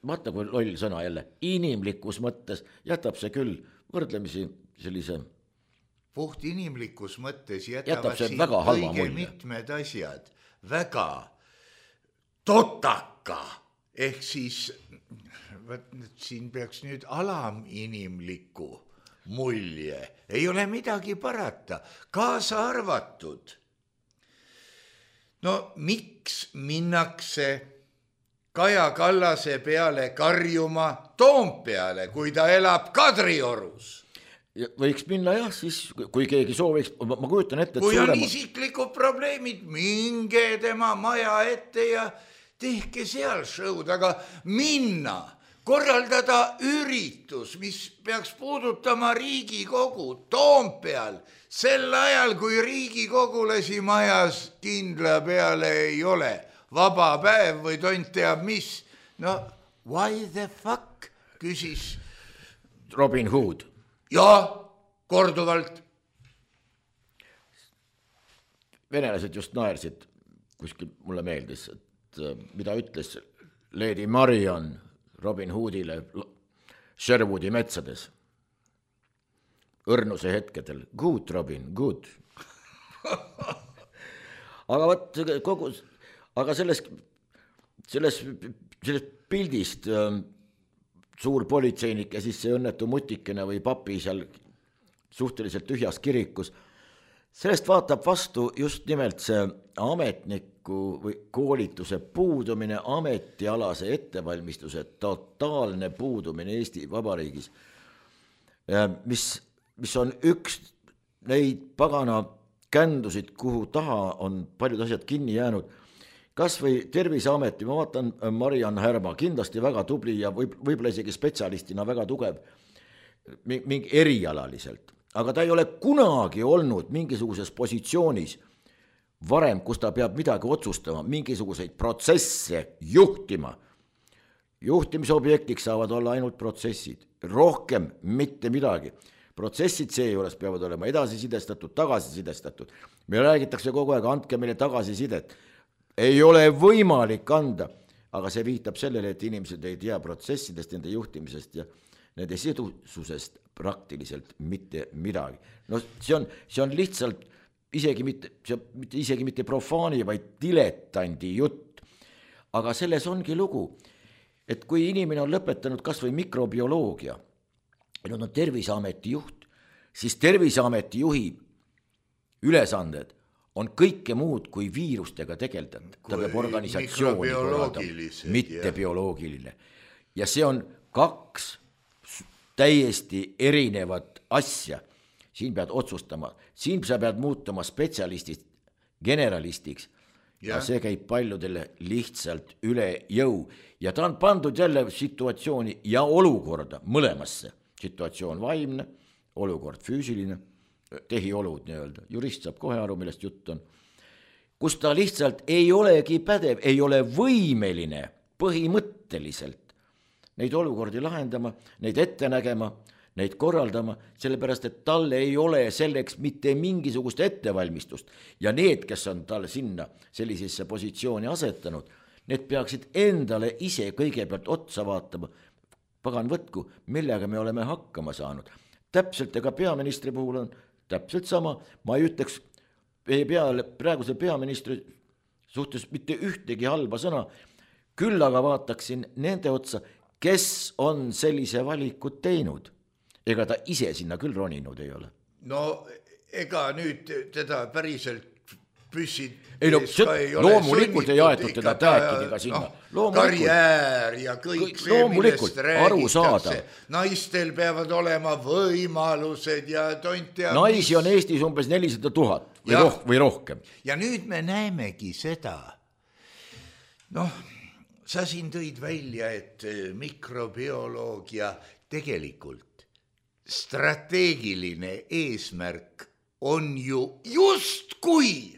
vaata kui loll sõna jälle, inimlikus mõttes jätab see küll võrdlemisi sellise puht inimlikus mõttes jätavad see siin kõige mitmed asjad väga totaka. Ehk siis siin peaks nüüd alaminimliku mulje. Ei ole midagi parata, kaasa arvatud. Miks minnakse Kaja Kallase peale karjuma Toompeale, kui ta elab Kadriorus? Võiks minna jah, siis kui keegi sooviks, ma kujutan ette, kui on isiklikud probleemid, minge tema maja ette ja tehke seal show'd, aga minna, korraldada üritus, mis peaks puudutama Riigikogu Toompeal, sel ajal, kui riigikogulasi majas kindla peale ei ole, vaba päev või tont teab mis. Why the fuck, küsis Robin Hood. Ja, korduvalt. Venelased just naersid, kuskil mulle meeldis, et mida ütles Lady Marion Robin Hoodile Sherwoodi metsades õrnuse hetkedel. Good, Robin, good. Aga selles pildist suur politseinik ja siis see õnnetu mutikene või papi seal suhteliselt tühjas kirikus, sellest vaatab vastu just nimelt see ametniku või koolituse puudumine, ametialase ettevalmistuse totaalne puudumine Eesti Vabariigis, mis on üks neid pagana kändusid, kuhu taha on paljud asjad kinni jäänud. Kas või Terviseameti, ma vaatan Mariann Härma, kindlasti väga tubli ja võib-olla isegi spetsialistina väga tugev mingi erialaliselt, aga ta ei ole kunagi olnud mingisuguses positsioonis varem, kus ta peab midagi otsustama, mingisuguseid protsesse juhtima. Juhtimisobjektiks saavad olla ainult protsessid, rohkem mitte midagi. Protsessid seejuures peavad olema edasisidestatud, tagasisidestatud. Me räägitakse kogu aeg, andke meile tagasisidet. Ei ole võimalik anda, aga see viitab sellele, et inimesed ei tea protsessidest, nende juhtimisest ja nende sidususest praktiliselt mitte midagi. See on lihtsalt isegi mitte profaani, vaid diletandi jutt. Aga selles ongi lugu, et kui inimene on lõpetanud kas või mikrobioloogia, ja on Terviseameti juht, siis Terviseameti juhi ülesanded on kõike muud kui viirustega tegelda. Ta peab organisatsiooni korraldama, mitte bioloogiline. Ja see on 2 täiesti erinevat asja. Siin pead otsustama, siin sa pead muutuma spetsialistist generalistiks ja see käib paljudele lihtsalt üle jõu. Ja ta on pandud jälle situatsiooni ja olukorda mõlemasse. Situatsioon vaimne, olukord füüsiline, tehiolud nii-öelda. Jurist saab kohe aru, millest jutt on. Kus ta lihtsalt ei olegi pädev, ei ole võimeline põhimõtteliselt neid olukordi lahendama, neid ette nägema, neid korraldama, sellepärast, et talle ei ole selleks mitte mingisugust ettevalmistust. Ja need, kes on talle sinna sellisesse positsiooni asetanud, need peaksid endale ise kõigepealt otsa vaatama, pagan võtku, millega me oleme hakkama saanud. Täpselt ega peaministri puhul on täpselt sama, ma ei ütleks praeguse peaministri suhtes mitte ühtegi halba sõna, küll aga vaataksin nende otsa, kes on sellise valikud teinud. Ega ta ise sinna küll roninud ei ole. No ega nüüd teda päriselt püssid loomulikult ei aetud teda tääkidiga sinna. Karjäär ja kõik see, millest räägitakse. Naistel peavad olema võimalused ja tontia. Naisi on Eestis umbes 400 000 või rohkem. Ja nüüd me näemegi seda. Sa siin tõid välja, et mikrobioloogia tegelikult strateegiline eesmärk on ju just kui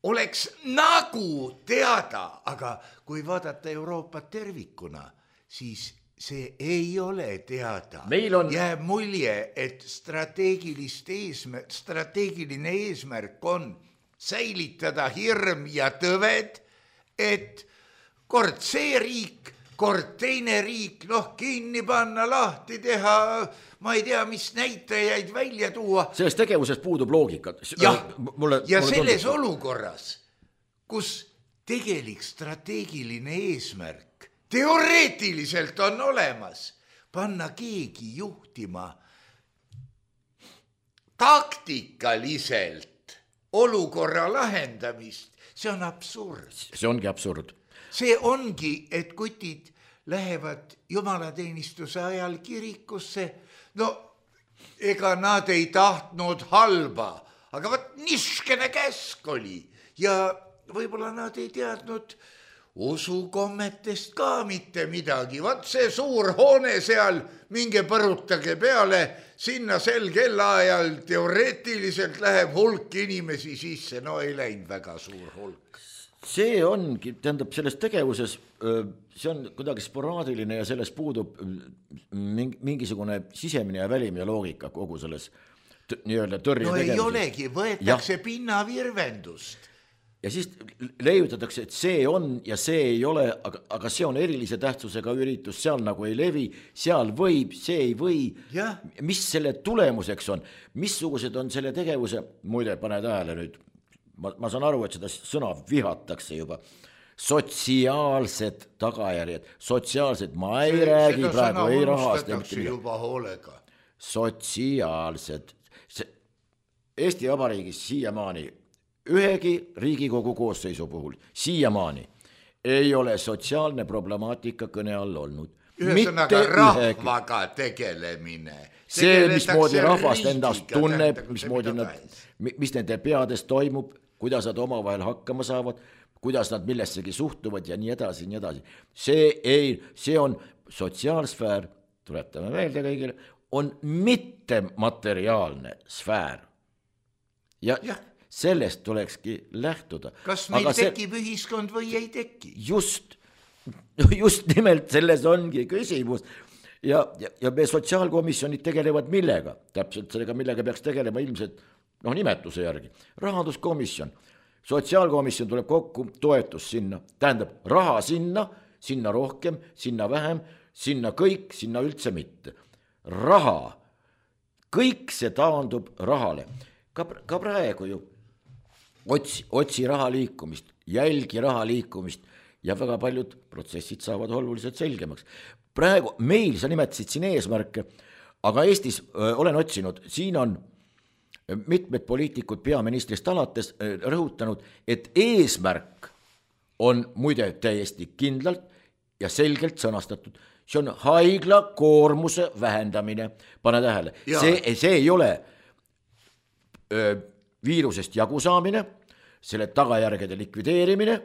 oleks nagu teada, aga kui vaadata Euroopat tervikuna, siis see ei ole teada. Jääb mulje, et strateegiline eesmärk on säilitada hirm ja tõved, et kord see riik, kord teine riik, kinni panna, lahti teha, ma ei tea, mis näitajaid välja tuua. Selles tegevuses puudub loogika. Ja selles olukorras, kus tegelik strateegiline eesmärk teoreetiliselt on olemas, panna keegi juhtima taktikaliselt olukorra lahendamist, see on absurd. See ongi absurd. See ongi, et kutid lähevad jumalateenistuse ajal kirikusse. Ega nad ei tahtnud halba, aga niskene käsk oli. Ja võib-olla nad ei teadnud usukommetest ka mitte midagi. See suur hoone seal, minge põrutage peale, sinna sel kellaajal teoreetiliselt läheb hulk inimesi sisse. Ei läinud väga suur hulk. See ongi, tähendab, selles tegevuses, see on kuidagi sporaadiline ja selles puudub mingisugune sisemine ja välimine loogika kogu selles nii-öelda tõrje tegevuses. Ei olegi, võetakse pinnavirvendust. Ja siis leiutatakse, et see on ja see ei ole, aga see on erilise tähtsusega üritus, seal nagu ei levi, seal võib, see ei või. Mis selle tulemuseks on? Missugused on selle tegevuse, muide, pane tähele nüüd, ma saan aru, et seda sõna vihatakse juba. Sotsiaalsed tagajärjed, sotsiaalsed, ma ei räägi praegu, ei rahast. Juba hoolega. Sotsiaalsed. Eesti Vabariigis siiamaani, ühegi Riigikogu koosseisu puhul, siiamaani ei ole sotsiaalne problemaatika kõne all olnud. Ühesõnaga rahvaga tegelemine. See, mismoodi rahvast endast tunneb, mis nende peades toimub, kuidas nad omavahel hakkama saavad, kuidas nad millessegi suhtuvad ja nii edasi, nii edasi. See on sotsiaalsfäär, tuletame meelde kõigile, on mittemateriaalne sfäär. Ja sellest tulekski lähtuda. Kas meil tekib ühiskond või ei teki? Just nimelt selles ongi küsimus. Ja me sotsiaalkomisjonid tegelevad millega? Täpselt sellega, millega peaks tegelema ilmselt nimetuse järgi. Rahanduskomisjon, sotsiaalkomisjon tuleb kokku, toetus sinna, tähendab raha sinna rohkem, sinna vähem, sinna kõik, sinna üldse mitte. Raha, kõik see taandub rahale. Ka praegu ju otsi raha liikumist, jälgi raha liikumist ja väga paljud protsessid saavad oluliselt selgemaks. Praegu meil, sa nimetasid siin eesmärke, aga Eestis olen otsinud, siin on mitmed poliitikud peaministrist alates rõhutanud, et eesmärk on muide täiesti kindlalt ja selgelt sõnastatud. See on haigla koormuse vähendamine. Pane tähele, see ei ole viirusest jagu saamine, selle tagajärgede likvideerimine,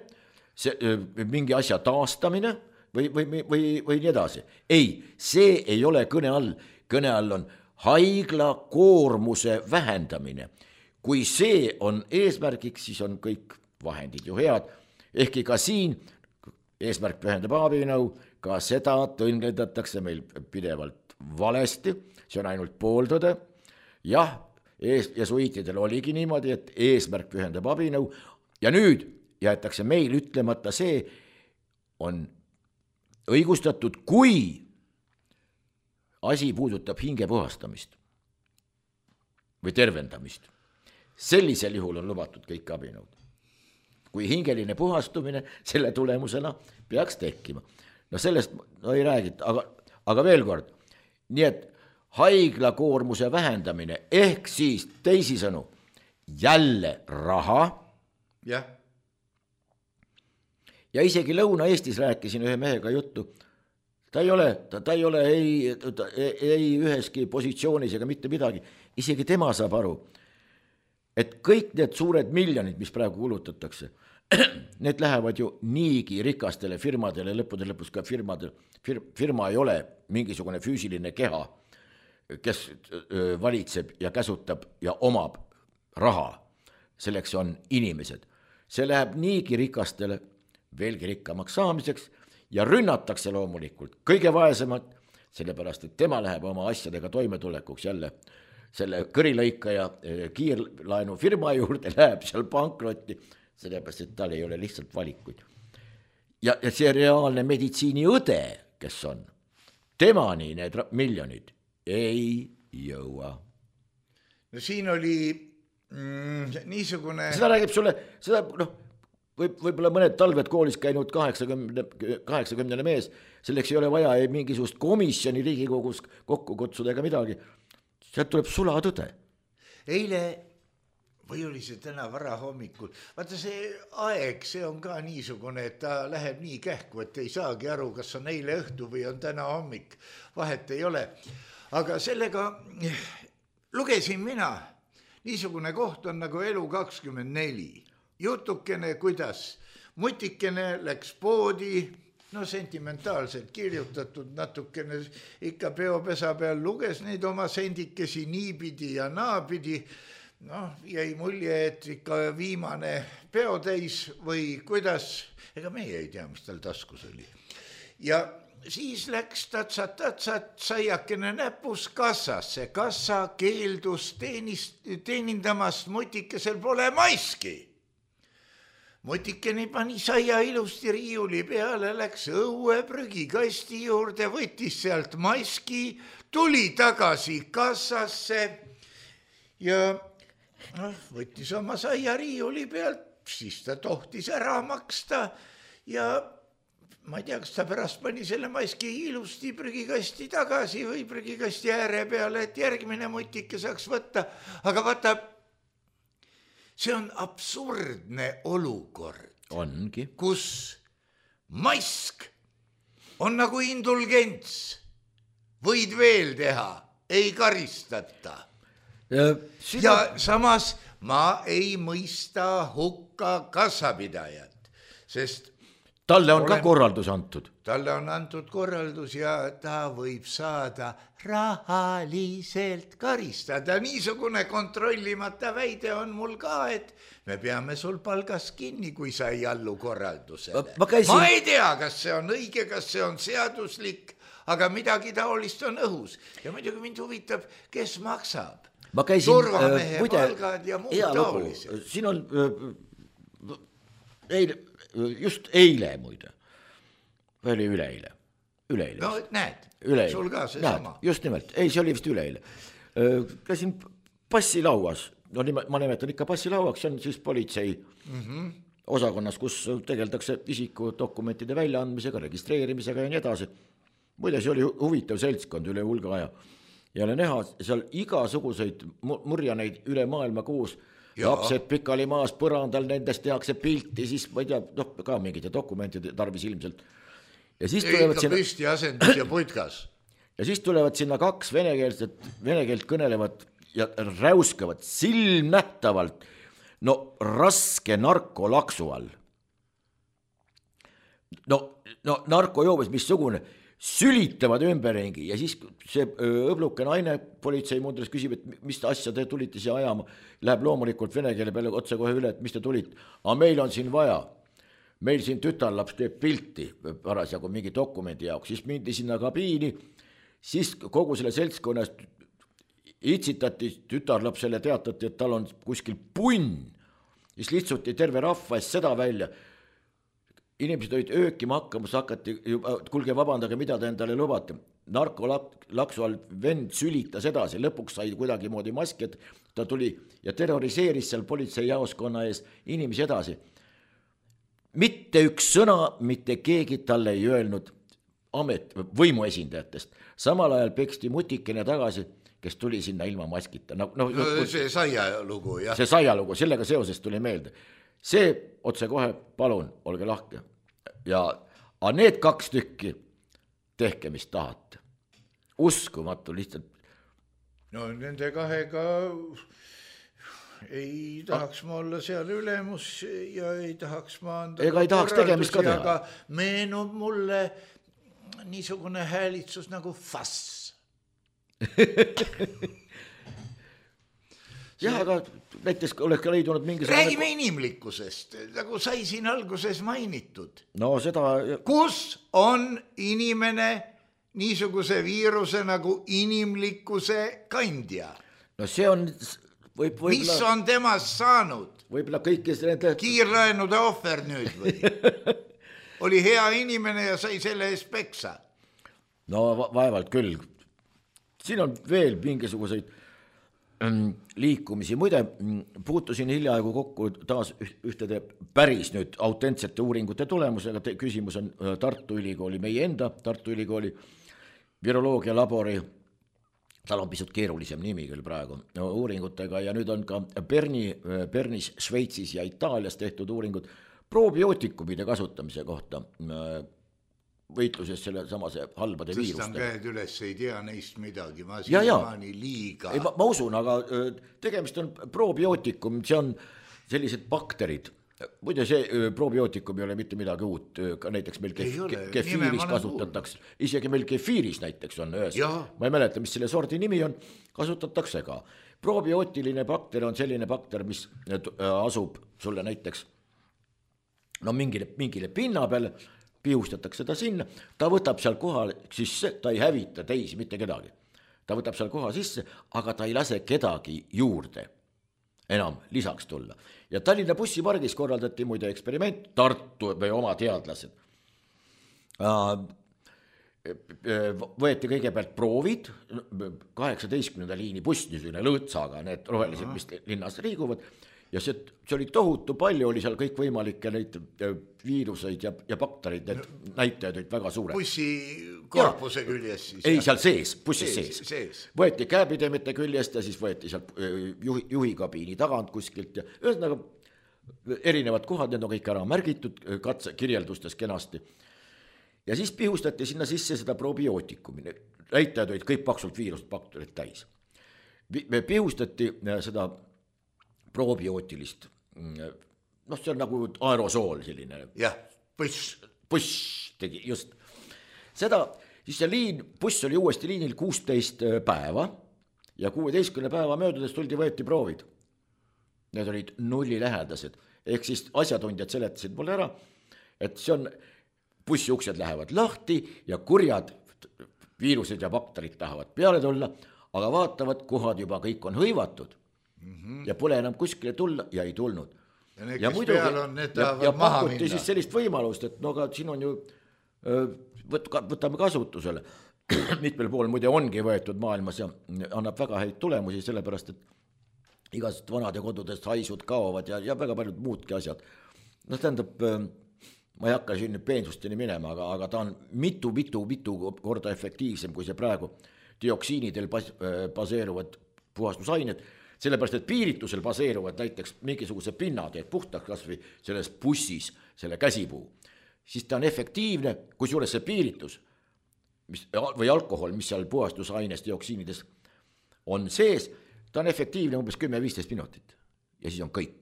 mingi asja taastamine või nii edasi. Ei, see ei ole kõne all. Kõne all on haigla koormuse vähendamine. Kui see on eesmärgiks, siis on kõik vahendid ju head. Ehkki ka siin eesmärk pühendab abinõu, ka seda tõlgendatakse meil pidevalt valesti, see on ainult pooltõde. Jah, jesuiitidel oligi niimoodi, et eesmärk pühendab abinõu ja nüüd jäetakse meil ütlemata see on õigustatud, kui asi puudutab hinge puhastamist või tervendamist. Sellisel juhul on lubatud kõik abinõud. Kui hingeline puhastumine selle tulemusena peaks tekkima. No sellest ei räägita, aga veel kord, nii et haigla koormuse vähendamine ehk siis teisisõnu jälle raha. Jah. Ja isegi Lõuna-Eestis rääkisin ühe mehega juttu, ta ei ole ei üheski positsioonis ega mitte midagi, isegi tema saab aru, et kõik need suured miljonid, mis praegu kulutatakse, need lähevad ju niigi rikastele firmadele, lõppude lõpus ka firma ei ole mingisugune füüsiline keha, kes valitseb ja käsutab ja omab raha, selleks on inimesed. See läheb niigi rikastele veelgi rikkamaks saamiseks ja rünnatakse loomulikult kõige vaesemad, sellepärast, et tema läheb oma asjadega toimetulekuks jälle selle kõrilõikaja kiirlaenu firma juurde, läheb seal pankrotti, sellepärast, et tal ei ole lihtsalt valikuid. Ja see reaalne meditsiiniõde, kes on, temani need miljonid ei jõua. No siin oli niisugune... Seda räägib sulle, võib-olla mõned talved koolis käinud 80 mees, selleks ei ole vaja ei mingisugust komisjoni Riigikogus kokku kutsuda ega midagi. Sealt tuleb sulatõde. Eile või oli see täna vara hommikul, vaata see aeg, see on ka niisugune, et ta läheb nii kähku, et ei saagi aru, kas on eile õhtu või on täna hommik, vahet ei ole. Aga sellega lugesin mina, niisugune koht on nagu Elu24. Jutukene, kuidas mutikene läks poodi, no sentimentaalselt kirjutatud, natukene ikka peopesa peal luges neid oma sendikesi niipidi ja naapidi. No, jäi mulje, et ikka viimane peotäis või kuidas, ega meie ei tea, mis tal taskus oli. Ja siis läks tatsat, saiakene näpus kassasse. Kassa keeldus teenindamast, mutikesel pole maiski. Mutikene pani saia ilusti riiuli peale, läks õue prügikasti juurde, võttis sealt maiski, tuli tagasi kassasse ja võttis oma saia riiuli pealt, siis ta tohtis ära maksta ja ma ei tea, kas ta pärast pani selle maiski ilusti prügikasti tagasi või prügikasti ääre peale, et järgmine mutike saaks võtta, aga vaata, see on absurdne olukord, ongi, kus maisk on nagu indulgents, võid veel teha, ei karistata. Ja samas ma ei mõista hukka kassapidajat, sest talle on ka korraldus antud. Talle on antud korraldus ja ta võib saada rahaliselt karistada. Niisugune kontrollimata väide on mul ka, et me peame sul palgas kinni, kui sa ei allu korraldusele. Ma ei tea, kas see on õige, kas see on seaduslik, aga midagi taolist on õhus. Ja muidugi mind huvitab, kes maksab. Ma käisin, turvamehe palgad ja muud taolised. Siin on just eile muide, või oli üleeile? No näed, sul ka see sama. Just nimelt, ei, see oli vist üleeile. Käisin passilauas, no ma nimetan ikka passilauaks, see on siis politsei osakonnas, kus tegeldakse isikudokumentide väljaandmisega, registreerimisega ja nii edasi. Muide, see oli huvitav seltskond üle hulga aja. ja oli näha seal igasuguseid murjaneid üle maailma koos, lapsed pikali maas põrandal, nendest tehakse pilti, siis ma ei tea, ka mingite dokumentide tarvis ilmselt. Ja siis tulevad sinna püsti asendus ja puitkas. Ja siis tulevad sinna 2 venekeelt kõnelevad ja räuskavad silmnähtavalt raske narkolaksu all. No narkojoobes missugune, sülitavad ümberringi ja siis see õbluke naine politseimundris küsib, et mis asja te tulite siia ajama, läheb loomulikult vene keele peale otse kohe üle, et mis te tulite, aga meil on siin vaja, meil siin tütarlaps teeb pilti parasjagu mingi dokumendi jaoks, siis mindi sinna kabiini, siis kogu selle seltskonnast itsitati tütarlapsele, teatati, et tal on kuskil punn, siis lihtsuti terve rahva eest seda välja. Inimesed olid öökima hakkamas, hakati, kuulge vabandage, mida te endale lubate. Narkolaksu all vend sülitas edasi, lõpuks sai kuidagi moodi maski, et ta tuli ja terroriseeris seal politseijaoskonna ees inimesi edasi. Mitte üks sõna, mitte keegi talle ei öelnud võimuesindajatest. Samal ajal peksti mutikene tagasi, kes tuli sinna ilma maskita. See saialugu, jah. See saialugu, sellega seoses tuli meelde. See otse kohe, palun, olge lahke. Ja need 2 tükki, tehke mis tahate. Uskumatu lihtsalt. No nende 2 ei tahaks ma olla seal ülemus ja ei tahaks ma anda ega ei tahaks tegemist ka teha. Aga meenub mulle niisugune häälitsus nagu fass. Jah, aga näiteks oleks ka leidunud mingisugune... Räägime inimlikkusest, nagu sai siin alguses mainitud. No seda... Kus on inimene niisuguse viiruse nagu inimlikkuse kandja? No see on... Mis on temast saanud? Võib-olla kõikis nende... Kiirlaenude ohver nüüd või? Oli hea inimene ja sai selle eest peksa? No vaevalt küll. Siin on veel mingisuguseid liikumisi. Muide, puutusin hiljaaegu kokku taas ühtede päris nüüd autentsete uuringute tulemusega. Küsimus on Tartu Ülikooli, meie enda Tartu Ülikooli viroloogia labori, tal on pisut keerulisem nimi küll praegu, uuringutega ja nüüd on ka Bernis, Šveitsis ja Itaalias tehtud uuringud probiootikumide kasutamise kohta võitluses selle samase halbade viiruste. Tõstan käed üles, ei tea neist midagi, ma siiamaani liiga. Ei, ma usun, aga tegemist on probiootikum, see on sellised bakterid. Muide, see probiootikum ei ole mitte midagi uut, ka näiteks meil kefiiris kasutatakse, isegi meil kefiiris näiteks on ühes, ma ei mäleta, mis selle sordi nimi on, kasutatakse ka. Probiootiline bakter on selline bakter, mis asub sulle näiteks mingile pinna peale, pihustatakse ta sinna, ta võtab seal koha sisse, ta ei hävita teisi, mitte kedagi. Ta võtab seal koha sisse, aga ta ei lase kedagi juurde enam lisaks tulla. Ja Tallinna bussipargis korraldati muide eksperiment, Tartu või oma teadlased. Võeti kõigepealt proovid, 18. liini buss, niisugune lõõtsaga, need rohelised, mis linnas liiguvad, ja see oli tohutu palju, oli seal kõik võimalikke neid viiruseid ja bakterid, need näitajad olid väga suured. Bussi korpuse küljest siis? Ei, seal sees, bussis sees. Võeti käepidemete küljest ja siis võeti seal juhikabiini tagant kuskilt ja ühesõnaga erinevad kohad, need on kõik ära märgitud katse kirjeldustes kenasti. Ja siis pihustati sinna sisse seda probiootikumi, näitajad olid kõik paksult viirust bakterid täis. Me pihustati seda probiootilist, see on nagu aerosool selline. Jah, buss tegi, just. Seda, siis see buss oli uuesti liinil 16 päeva ja 16 päeva möödudes võeti proovid. Need olid nullilähedased, ehk siis asjatundjad seletasid mulle ära, et see on, bussi uksed lähevad lahti ja kurjad viirused ja bakterid tahavad peale tulla, aga vaatavad, kohad juba kõik on hõivatud. Ja pole enam kuskile tulla ja ei tulnud. Ja need, kes peal on, need tahavad maha minna. Pakuti siis sellist võimalust, et aga siin on ju, võtame kasutusele. Mitmel pool muide ongi võetud maailmas ja annab väga häid tulemusi, sellepärast, et igasugused vanade kodudest haisud kaovad ja väga paljud muudki asjad. Tähendab, ma ei hakka siin peensusteni minema, aga ta on mitu korda efektiivsem, kui see praegu dioksiinidel baseeruvad puhastusained, sellepärast, et piiritusel baseeruvad näiteks mingisuguse pinnad, et puhtaks kas või selles bussis selle käsipuu, siis ta on efektiivne, kusjuures see piiritus või alkohol, mis seal puhastusaines dioksiinides on sees, ta on efektiivne umbes 10-15 minutit ja siis on kõik.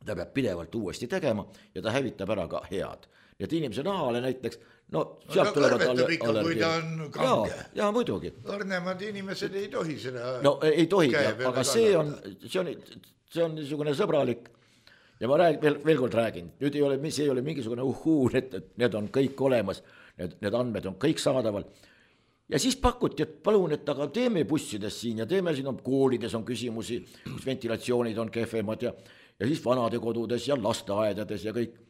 Ta peab pidevalt uuesti tegema ja ta hävitab ära ka head. Nii et inimese nahale näiteks, sealt tulevad kui ta on kange. Jaa, muidugi. Õrnemad inimesed ei tohi seda ei tohi, aga see on niisugune sõbralik ja ma veel kord räägin, nüüd see ei ole mingisugune et need on kõik olemas, need andmed on kõik saadaval. Ja siis pakuti, et palun, et aga teeme bussides siin ja teeme siin koolides on küsimusi, kus ventilatsioonid on kehvemad ja siis vanadekodudes ja lasteaedades ja kõik.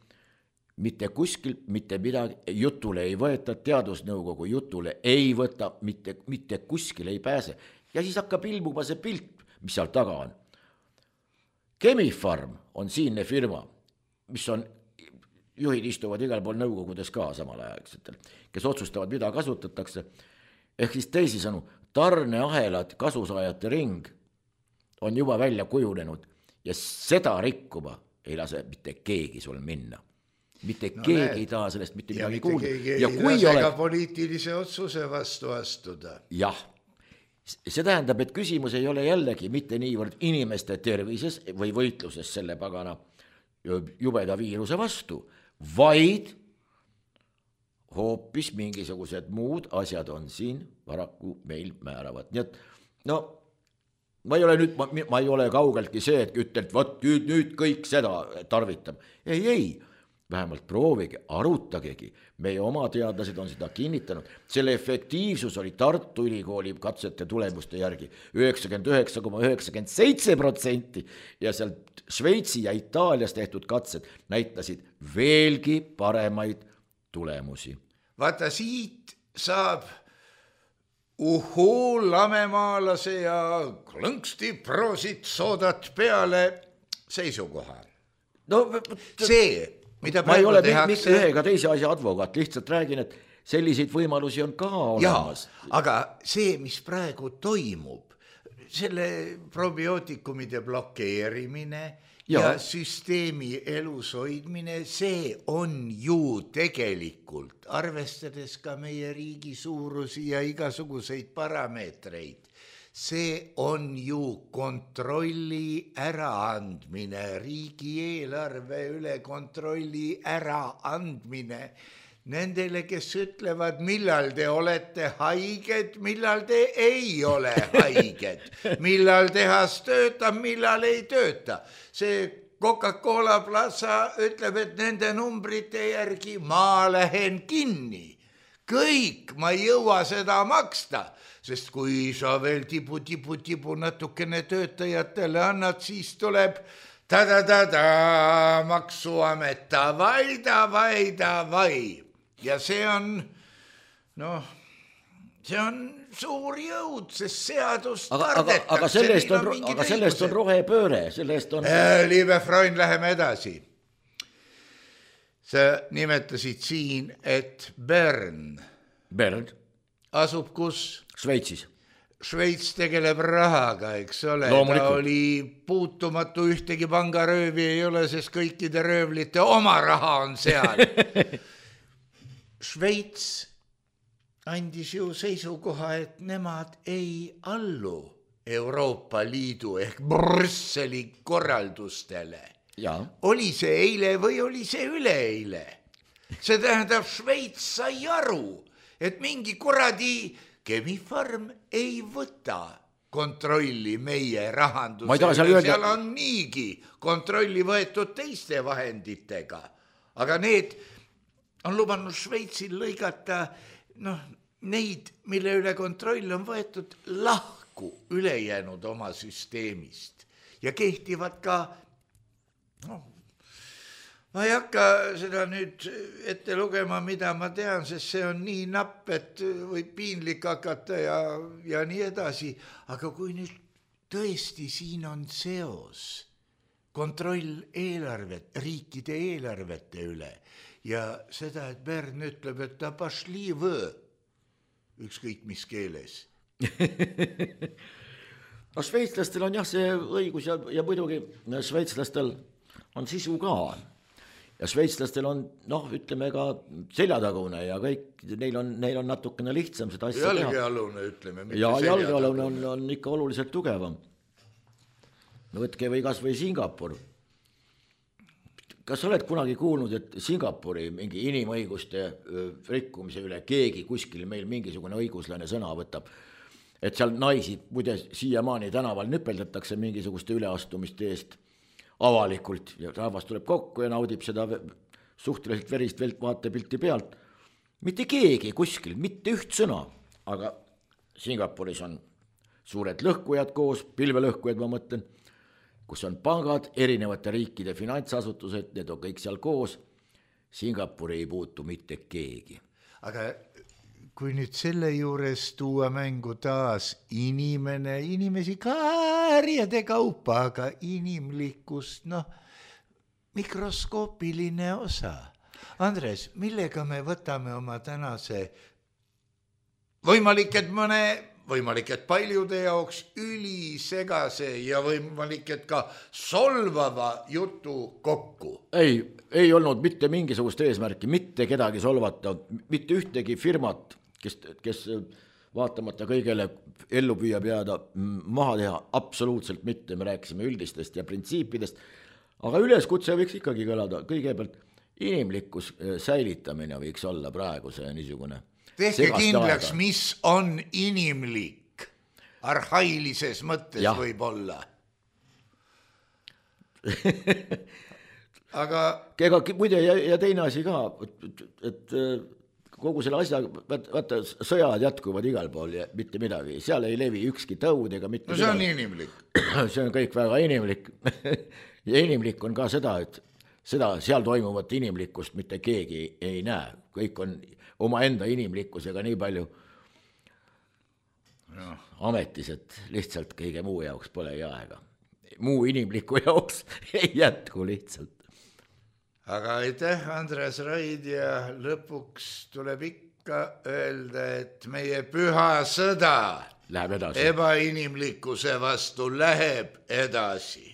Mitte kuskil, mitte midagi, jutule ei võeta, teadusnõukogu jutule ei võta, mitte kuskil ei pääse. Ja siis hakkab ilmuma see pilt, mis seal taga on. Chemifarm on siinne firma, mis on, juhid istuvad igal pool nõukogudes ka samal aegsetel, kes otsustavad, mida kasutatakse. Ehk siis teisisõnu, tarneahelad kasusaajate ring on juba välja kujunenud ja seda rikkuma ei lase mitte keegi sul minna. Mitte keegi ei taha sellest mitte midagi kuulda. Ja kui ei lase ka poliitilise otsuse vastu astuda. Jah, see tähendab, et küsimus ei ole jällegi mitte niivõrd inimeste tervises või võitluses selle pagana jubeda viiruse vastu, vaid hoopis mingisugused muud asjad on siin paraku meil määravad. Nii et, ma ei ole kaugeltki see, et ütlen, et nüüd kõik seda tarvitab. Ei, vähemalt proovige, arutagegi. Meie oma teadlased on seda kinnitanud. Selle efektiivsus oli Tartu Ülikooli katsete tulemuste järgi 99,97% ja sealt Šveitsi ja Itaalias tehtud katsed näitasid veelgi paremaid tulemusi. Vaata, siit saab lamemaalase ja klõnksti proosit soodat peale seisukoha. See, mida praegu tehakse... Ma ei ole ühega teise asja advokaat, lihtsalt räägin, et selliseid võimalusi on ka olemas. Aga see, mis praegu toimub, selle probiootikumide blokeerimine ja süsteemi elus hoidmine, see on ju tegelikult, arvestades ka meie riigi suurusi ja igasuguseid parameetreid, see on ju kontrolli äraandmine, riigieelarve üle kontrolli äraandmine nendele, kes ütlevad, millal te olete haiged, millal te ei ole haiged, millal tehas töötab, millal ei tööta. See Coca-Cola Plaza ütleb, et nende numbrite järgi ma lähen kinni. Kõik, ma ei jõua seda maksta, sest kui sa veel tibu natukene töötajatele annad, siis tuleb maksuamet, davai. Ja see on, see on suur jõud, sest seadust kardetakse. Aga sellest on rohepööre, sellest on... Liebe Freund, läheme edasi. Sa nimetasid siin, et Bern asub kus? Šveitsis. Šveits tegeleb rahaga, eks ole. Ta oli puutumatu, ühtegi pangaröövi ei ole, sest kõikide röövlite oma raha on seal. Šveits andis ju seisukoha, et nemad ei allu Euroopa Liidu ehk Brüsseli korraldustele. Ja. Oli see eile või oli see üleeile? See tähendab, Šveits sai aru, et mingi kuradi Chemifarm ei võta kontrolli meie rahandusele. Seal on niigi kontrolli võetud teiste vahenditega. Aga need on lubanud Šveitsil lõigata neid, mille üle kontroll on võetud lahku ülejäänud oma süsteemist. Ja kehtivad ka, ma ei hakka seda nüüd ette lugema, mida ma tean, sest see on nii napp, et võib piinlik hakata ja nii edasi. Aga kui nüüd tõesti siin on seos, kontroll riikide eelarvete üle ja seda, et Bern ütleb, et ta pašli võ, ükskõik mis keeles. No šveitslastel on jah see õigus ja muidugi šveitslastel on sisu ka. Ja šveitslastel on, ütleme ka seljatagune ja kõik, neil on natukene lihtsam seda asja teha. Jalgealune, ütleme. Ja jalgealune on ikka oluliselt tugevam. Võtke või kas või Singapur. Kas oled kunagi kuulnud, et Singapuri mingi inimõiguste rikkumise üle keegi kuskil meil mingisugune õiguslane sõna võtab? Et seal naisi, muide siiamaani tänaval nüpeldatakse mingisuguste üleastumiste eest avalikult ja rahvas tuleb kokku ja naudib seda suhteliselt verist vaatepilti pealt. Mitte keegi kuskil, mitte üht sõna, aga Singapuris on suured lõhkujad koos, pilvelõhkujad ma mõtlen, kus on pangad, erinevate riikide finantsasutused, need on kõik seal koos. Singapuri ei puutu mitte keegi. Aga kui nüüd selle juures tuua mängu taas inimesi karjade kaupa, aga inimlikkust, mikroskoopiline osa. Andres, millega me võtame oma tänase võimalik, et paljude jaoks ülisegase ja võimalik, et ka solvava jutu kokku? Ei olnud mitte mingisugust eesmärki, mitte kedagi solvata, mitte ühtegi firmat, kes vaatamata kõigele ellu püüab jääda maha teha, absoluutselt mitte, me rääkisime üldistest ja printsiipidest, aga üleskutse võiks ikkagi kõlada, kõigepealt inimlikkus säilitamine võiks olla praegu see niisugune. Tehke kindlaks, mis on inimlik, arhailises mõttes võib olla. Aga muide ja teine asi ka, et kogu selle asja, vaata, sõjad jätkuvad igal pool ja mitte midagi, seal ei levi ükski tõud ega mitte see on inimlik. See on kõik väga inimlik ja inimlik on ka seda, et seal toimuvat inimlikkust mitte keegi ei näe, kõik on omaenda inimlikkusega nii palju ametis, et lihtsalt kõige muu jaoks polegi aega. Muu inimliku jaoks ei jätku lihtsalt. Aga aitäh, Andres Raid, ja lõpuks tuleb ikka öelda, et meie püha sõda läheb edasi. Ebainimlikkuse vastu läheb edasi.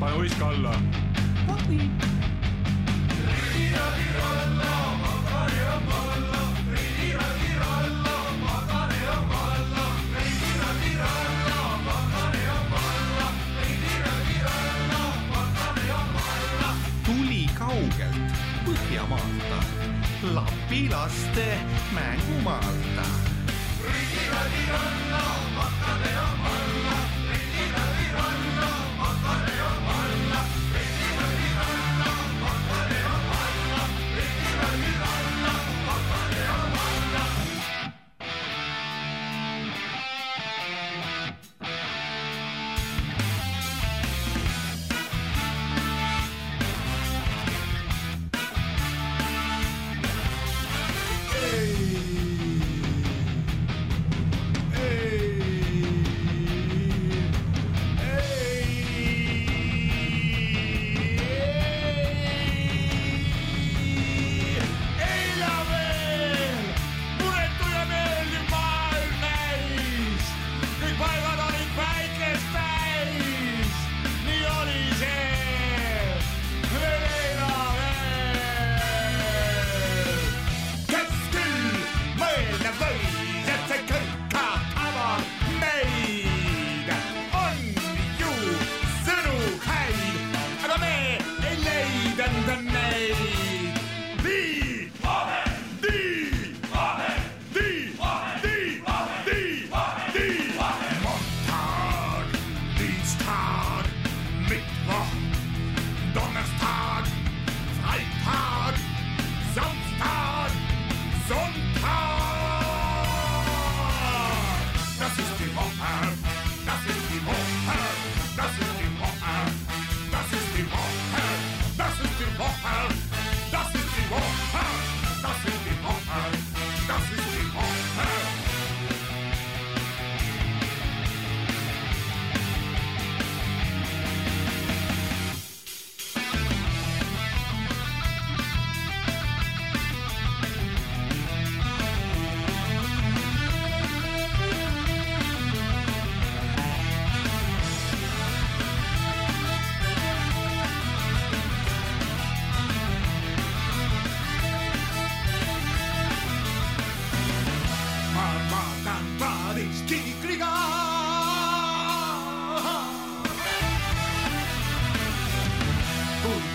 Pane uiska alla. Tuli kaugelt Põhjamaalta, Lapilaste mängumaalta.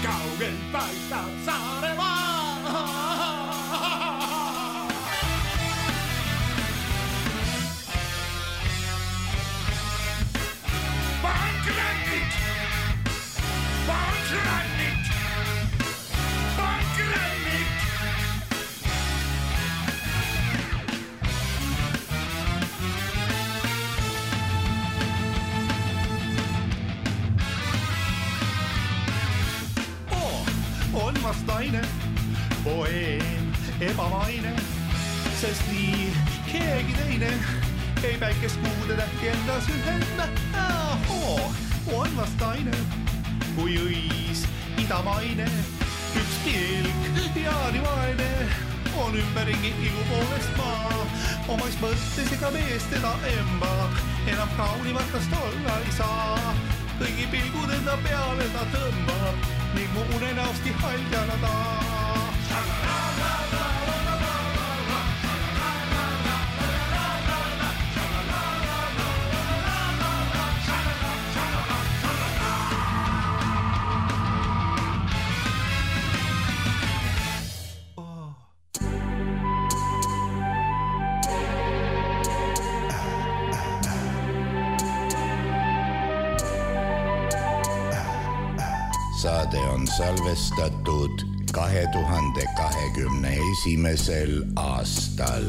kaugelt paistab Saaremaa. Pankrannik, pankrannik, pankrannik. On vast naine, poeem, ebamaine, sest nii keegi teine ei päikest kuude tähti endas ühenda. On vast naine, kui õis idamaine, üks pilk ja nii vaene on ümberringi igu poolest maa. Omais mõttes ega mees teda embab, enam kaunimatast olla ei saa. Kõigi pilgud enda peale ta tõmbab ning mu unenäosti haljana ta. Saade on salvestatud 2021. aastal.